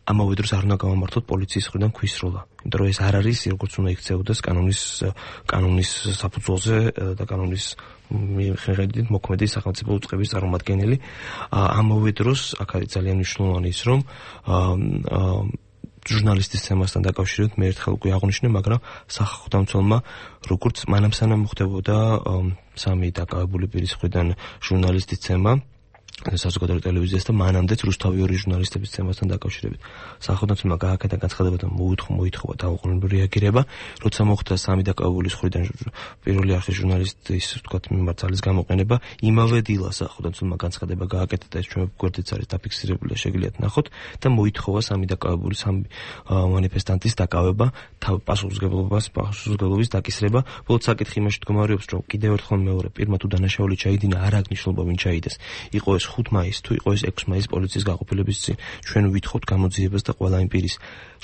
ამავე დროს არ უნდა გავამართლოთ პოლიციის მხრიდან ქვისროლა. იმიტომ რომ ეს არ არის როგორც უნდა იქცეოდეს კანონის კანონის საფუძველზე და კანონის მიხედვით მოქმედი სახელმწიფო უწყების წარმომადგენელი. ამავე დროს აქ არის ძალიან მნიშვნელოვანი ის რომ ჟურნალისტის თემასთან დაკავშირებით მე ერთხელ უკვე აღნიშნე, მაგრამ სახელმწიფომა როგორც მანამ სანამ მოხდებოდა სამი დაკავებული პირის მხრიდან ჟურნალისტის თემა საზოგადოებრივ ტელევიზიას და მანამდეც რუსთავი ორი ჟურნალისტების თემასთან დაკავშირებით. სახელმწიფომა გააკეთა განცხადება და მოითხოვა მოითხოვა დაუყოვნებლივ რეაგირება, როცა მოხდა სამი დაკავებულის მხრიდან პირველი არხის ჟურნალისტის თქვათ მიმართ ძალის გამოყენება, იმავე დილას სახელმწიფომა განცხადება გააკეთა და ეს ჩვენ გვერდიც არის დაფიქსირებული და შეგიძლიათ ნახოთ და მოითხოვა სამი დაკავებული სამი მანიფესტანტის დაკავება, პასუხისმგებლობას, პასუხისმგებლობის დაკისრება. ბოლოს საკითხი იმაში მდგომარეობს, რომ კიდევ ერთხელ მეორე პირმა თუ დანაშაული ჩაიდინა, არ აქვს მნიშვნელობა ვინ ჩაიდეს. იყო ეს ეს ხუთი მაისი თუ იყო ეს ექვსი მაისი პოლიციის გაყოფილების წინ ჩვენ ვითხოვთ გამოძიებას და ყველა იმ პირის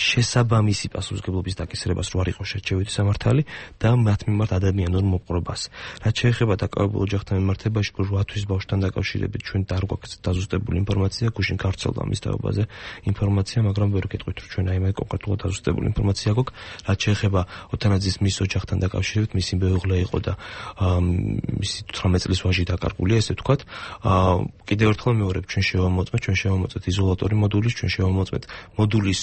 შესაბამისი პასუხისმგებლობის დაკისრებას რო არ იყოს შერჩევითი სამართალი და მათ მიმართ ადამიანურ მოპყრობას. რაც შეეხება დაკავებულ ოჯახთან მიმართებაში რვა თვის ბავშვთან დაკავშირებით ჩვენ არ გვაქვს დაზუსტებული ინფორმაცია, გუშინ გავრცელდა მის თაობაზე ინფორმაცია, მაგრამ ვერ გეტყვით რომ ჩვენ აი მე კონკრეტულად დაზუსტებული ინფორმაცია გვაქვს. რაც შეეხება ოთანაძის მის ოჯახთან დაკავშირებით, მისი მეუღლე იყო და მისი თვრამეტ წლის ვაჟი დაკარგულია, ესე ვთქვათ. კიდევ ერთხელ მეორებ, ჩვენ შევამოწმეთ, ჩვენ შევამოწმეთ იზოლატორი მოდულის, ჩვენ შევამოწმეთ მოდულის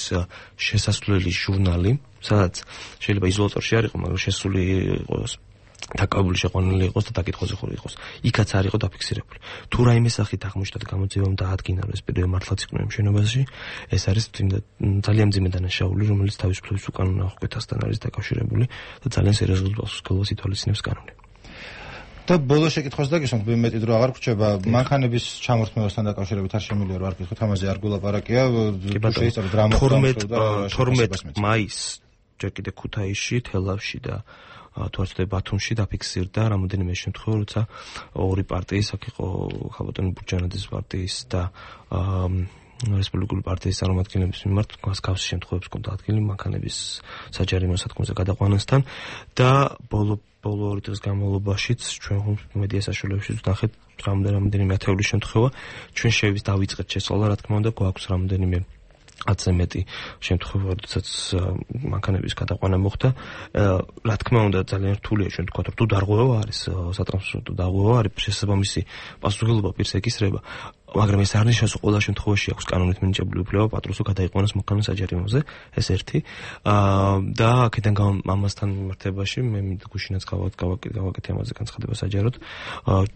შესასვლელი ჟურნალი, სადაც შეიძლება იზოლატორში არ იყო, მაგრამ შესული იყოს დაკავებული შეყვანილი იყოს და დაკითხვაზე ხური იყოს. იქაც არ იყო დაფიქსირებული. თუ რაიმე სახით აღმოჩნდა გამოძიებამ დაადგინა რომ ეს პირები მართლაც იყვნენ მშენობაში, ეს არის ძალიან მძიმე დანაშაული, რომელიც თავისუფლების უკანონო აღკვეთასთან არის დაკავშირებული და ძალიან სერიოზულ პასუხისმგებლობას ითვალისწინებს კანონი. და ბოლოს შეკითხვას დაგისვამთ, მეტი დრო აღარ გრჩება, მანქანების ჩამორთმევასთან დაკავშირებით არ შემიძლია რომ არ გითხოთ, ამაზე არ გულაპარაკია, თუ შეიძლება დრამატულად თორმეტ მაისს ჯერ კიდე ქუთაისში, თელავში და თუ არ ვცდები ბათუმში დაფიქსირდა რამოდენიმე შემთხვევა, როცა ორი პარტიის, აქ იყო ხალბატონი ბურჯანაძის პარტიის და რესპუბლიკური პარტიის წარმომადგენლების მიმართ მსგავსი შემთხვევებს ჰქონდა ადგილი მანქანების საჯარიმო სათქმულზე გადაყვანასთან და ბოლო ბოლო ორი დღის განმავლობაშიც ჩვენ მედია საშუალებაშიც ვნახეთ რამდენიმე ათეული შემთხვევა. ჩვენ შევით დავიწყეთ შესწავლა, რა თქმა უნდა, გვაქვს რამდენიმე ათზე მეტი შემთხვევა, როდესაც მანქანების გადაყვანა მოხდა. რა თქმა უნდა, ძალიან რთულია ჩვენ თქვა, რომ თუ დარღვევა არის, სატრანსპორტო დარღვევა არის, შესაბამისი პასუხისმგებლობა პირს ეკისრება. მაგრამ ეს არ ნიშნავს, რომ ყველა შემთხვევაში აქვს კანონით მინიჭებული უფლება პატრონს გადაიყვანოს მოქალაქე საჯარიმოზე, ეს ერთი. და აქედან ამასთან მიმართებაში მე გუშინაც გავაკეთე ამაზე განცხადება საჯაროდ.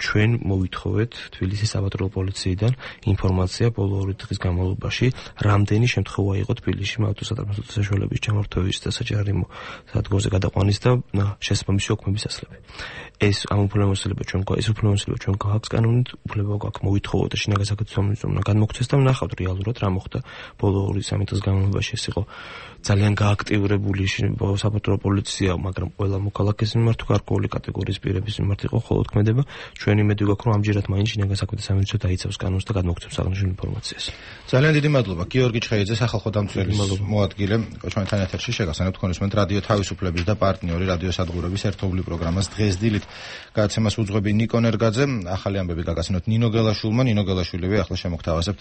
ჩვენ მოვითხოვეთ თბილისის საპატრულო პოლიციიდან ინფორმაცია ბოლო ორი დღის განმავლობაში, რამდენი შემთხვევა იყო თბილისში ავტოსატრანსპორტო საშუალებების ჩამორთმევის და საჯარიმო სადგურზე გადაყვანის და შესაბამისი ოქმების ასლები. ეს ამ უფლებამოსილება ჩვენ ეს უფლებამოსილება ჩვენ გვაქვს კანონით, უფლება გვაქვს მოვითხოვოთ და შინაგან საკითხებზე უნდა განმოგვცეს და ვნახავთ რეალურად რა მოხდა ბოლო ორი სამი დღის განმავლობაში. ეს იყო ძალიან გააქტიურებული საპატრულო პოლიცია, მაგრამ ყველა მოქალაქეს მიმართ გარკვეული კატეგორიის პირების მიმართ იყო ხოლო თქმედება. ჩვენ იმედი გვაქვს, რომ ამჯერად მაინც შინაგან საქმეთა სამინისტრო დაიცავს კანონს და გადმოგვცემს აღნიშნულ ინფორმაციას. ძალიან დიდი მადლობა გიორგი ჩხეიძე, სახალხო დამცველის მოადგილე, ჩვენთან ეთერში შეგახსენებთ ქონესმენთ რადიო თავისუფლების და პარტნიორი რადიო სადგურების ერთობლივ პროგრამას დღეს დილით. გადაცემას უძღვები ნიკო ნერგაძე, ახალი ამბები გაგაცნოთ ნინო გელაშვილმა, ნინო გელაშვილები ახლა შემოგთავაზებთ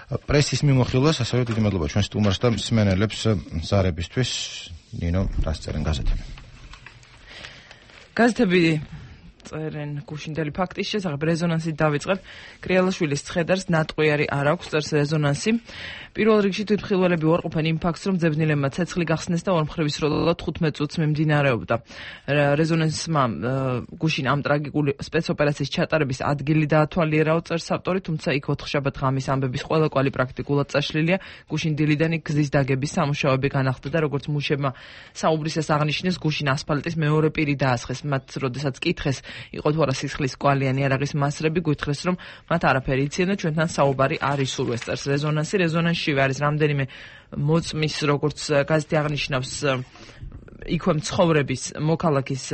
პრესის მიმოხილვას, ასევე დიდი მადლობა ჩვენ სტუმარს და მსმენელებს ზარებისთვის. ნინო, რას წერენ გაზეთები? გაზეთები წერენ გუშინდელი ფაქტის შესახებ, რეზონანსით დავიწყებ. კრიალაშვილის ცხედარს ნატყვიარი არ აქვს, წერს რეზონანსი. პირველ რიგში თვითმხილველები უარყოფენ იმ ფაქტს, რომ ძებნილებმა ცეცხლი გახსნეს და ორმხრივი სროლა თხუთმეტ წუთს მიმდინარეობდა. რეზონანსმა გუშინ ამ ტრაგიკული სპეცოპერაციის ჩატარების ადგილი დაათვალიერა, წერს ავტორი, თუმცა იქ ოთხშაბათ ღამის ამბების ყველა კვალი პრაქტიკულად წაშლილია. გუშინ დილიდანი გზის დაგების სამუშაოები განახლდა და როგორც მუშებმა საუბრისას აღნიშნეს, გუშინ ასფალტის მეორე პირი დაასხეს. მათ როდესაც კითხეს იყო თუ არა სისხლის კვალიანი არაღის მასრები, გვითხრეს რომ მათ არაფერი იციან და ჩვენთან საუბარი არ ისურვეს, წერს რეზონანსი. რეზონანსში არის რამდენიმე მოწმის, როგორც გაზეთი აღნიშნავს, იქვე მცხოვრების მოქალაქის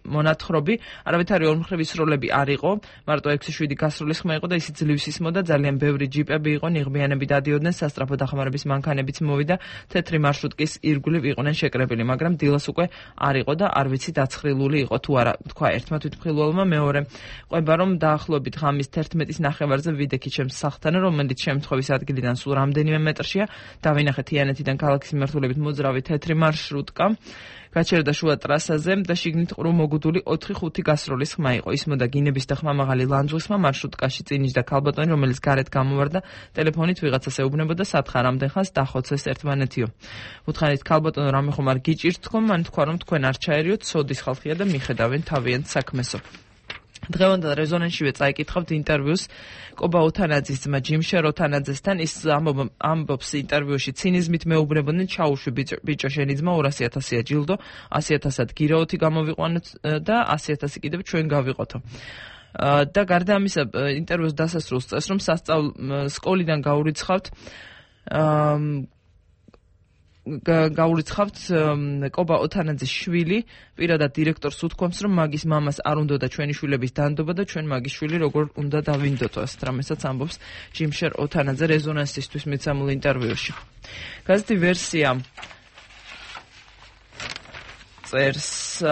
მონათხრობი, არავითარი ორმხრივი სროლები არ იყო, მარტო ექვსი შვიდი გასროლის ხმა იყო და ისიც ძლივს ისმოდა, ძალიან ბევრი ჯიპები იყო, ნიღბიანები დადიოდნენ, სასტრაფო დახმარების მანქანებიც მოვიდა, თეთრი მარშრუტკის ირგვლივ იყვნენ შეკრებილი, მაგრამ დილას უკვე არ იყო და არ ვიცი დაცხრილული იყო თუ არა, თქვა ერთმა თვითმხილველმა, მეორე ყვება რომ დაახლოებით ღამის თერთმეტის ნახევარზე ვიდექი ჩემს სახლთან, რომელიც შემთხვევის ადგილიდან სულ რამდენიმე მეტრშია, დავინახე თიანეთიდან ქალაქის მიმართულებით მოძრავი თეთრი მარშრუტკა. გაჩერდა შუა ტრასაზე და შიგნით ყრუ მოგუდული ოთხი ხუთი გასროლის ხმა იყო. ისმოდა გინების და ხმამაღალი ლანძღვის ხმა, მარშრუტკაში წინიშდა ქალბატონი, რომელიც გარეთ გამოვარდა, ტელეფონით ვიღაცას ეუბნებოდა, სათხარ ამდენ ხანს დახოცეს ერთმანეთიო. უთხარით ქალბატონო, რამე ხომ არ გიჭირთ თქვენ? მან თქვა რომ თქვენ არ ჩაერიოთ, სოდის ხალხია და მიხედავენ თავიანთ საქმესო. დღევანდელ რეზონანსშივე წაიკითხავთ ინტერვიუს კობა უთანაძის ძმა ჯიმშერ უთანაძესთან. ის ამბობს ინტერვიუში, ცინიზმით მეუბნებოდნენ, ჩაუშვი ბიჭო შენი ძმა ორასი ათასია ჯილდო, ასი ათასად გირაოთი გამოვიყვანოთ და ასი ათასი კიდევ ჩვენ გავიყოთო. და გარდა ამისა, ინტერვიუს დასასრულს წერს, რომ სასწავლო სკოლიდან გაურიცხავთ გაურიცხავთ კობა ოთანაძის შვილი პირადად დირექტორს უთქვამს, რომ მაგის მამას არ უნდოდა ჩვენი შვილების დანდობა და ჩვენ მაგის შვილი როგორ უნდა დავინდოდო, ასეთ რამესაც ამბობს ჯიმშერ ოთანაძე რეზონანსისთვის მიცემულ ინტერვიუში. გაზეთი ვერსია წერს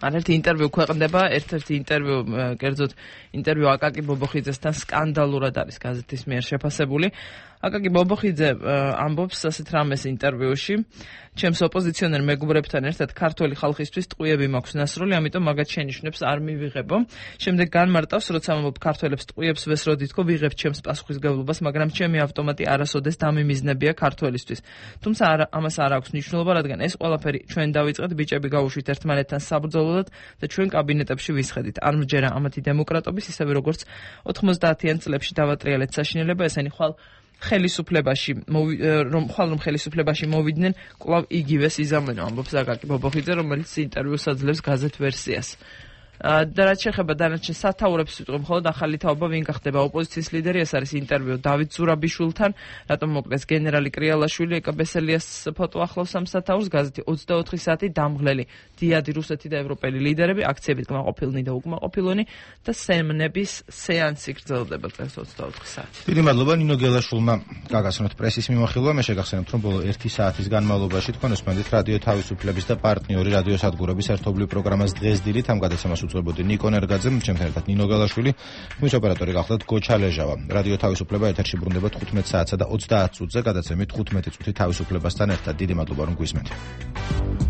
ერთ-ერთი ინტერვიუ ქვეყნდება, ერთ-ერთი ინტერვიუ, კერძოდ ინტერვიუ აკაკი ბობოხიძესთან სკანდალურად არის გაზეთის მიერ შეფასებული. აკაკი ბობოხიძე ამბობს ასეთ რამეს ინტერვიუში: ჩემს ოპოზიციონერ მეგობრებთან ერთად ქართველი ხალხისთვის ტყუიები მაქვს ნასროლი, ამიტომ მაგათ შენიშვნებს არ მივიღებო. შემდეგ განმარტავს, როცა ამბობ ქართველებს ტყუიებს ვესროდი თქო, ვიღებ ჩემს პასუხისგებლობას, მაგრამ ჩემი ავტომატი არასოდეს დამიმიზნებია ქართველისთვის. თუმცა ამას არ აქვს მნიშვნელობა, რადგან ეს ყველაფერი ჩვენ დავიწყეთ, ბიჭები გავუშვით ერთმანეთთან საბრძოლოდ და ჩვენ კაბინეტებში ვისხედით. არ მჯერა ამათი დემოკრატობის, ისევე როგორც ოთხმოცდაათიან წლებში დავატრიალეთ საშინელება, ესენი ხვალ ხელისუფლებაში რომ ხვალ რომ ხელისუფლებაში მოვიდნენ, კვლავ იგივეს იზამენო, ამბობს აკაკი ბობოხიძე, რომელიც ინტერვიუს აძლევს გაზეთ ვერსიას. და რაც შეეხება დანარჩენ სათაურებს ვიტყვი, მხოლოდ ახალი თაობა ვინ გახდება ოპოზიციის ლიდერი, ეს არის ინტერვიუ დავით ზურაბიშვილთან, რატომ მოკლეს გენერალი კრიალაშვილი, ეკა ბესელიას ფოტო ახლავს ამ სათაურს, გაზეთი ოცდაოთხი საათი დამღლელი დიადი რუსეთი და ევროპელი ლიდერები, აქციებით კმაყოფილნი და უკმაყოფილონი და სემნების სეანსი გრძელდება წელს ოცდაოთხი საათი. დიდი მადლობა ნინო გელაშვილმა გაგაცნოთ პრესის მიმოხილვა. მე შეგახსენებთ, რომ ბოლო ერთი საათის განმავლობაში თქვენ უსმენთ რადიო თავისუფლების და პარტნიორი რადიო სადგურების ერთობლივ პროგრამას დღეს დილით ამ გადაცემას უწევოდი ნიკო ნერგაძე, ჩემთან ერთად ნინო გელაშვილი, მის ოპერატორი გახლდათ გოჩა ლეჟავა. რადიო თავისუფლება ეთერში ბრუნდება თხუთმეტ საათსა და ოცდაათ წუთზე, გადაცემით თხუთმეტი წუთი თავისუფლებასთან ერთად. დიდი მადლობა რომ გვისმენთ.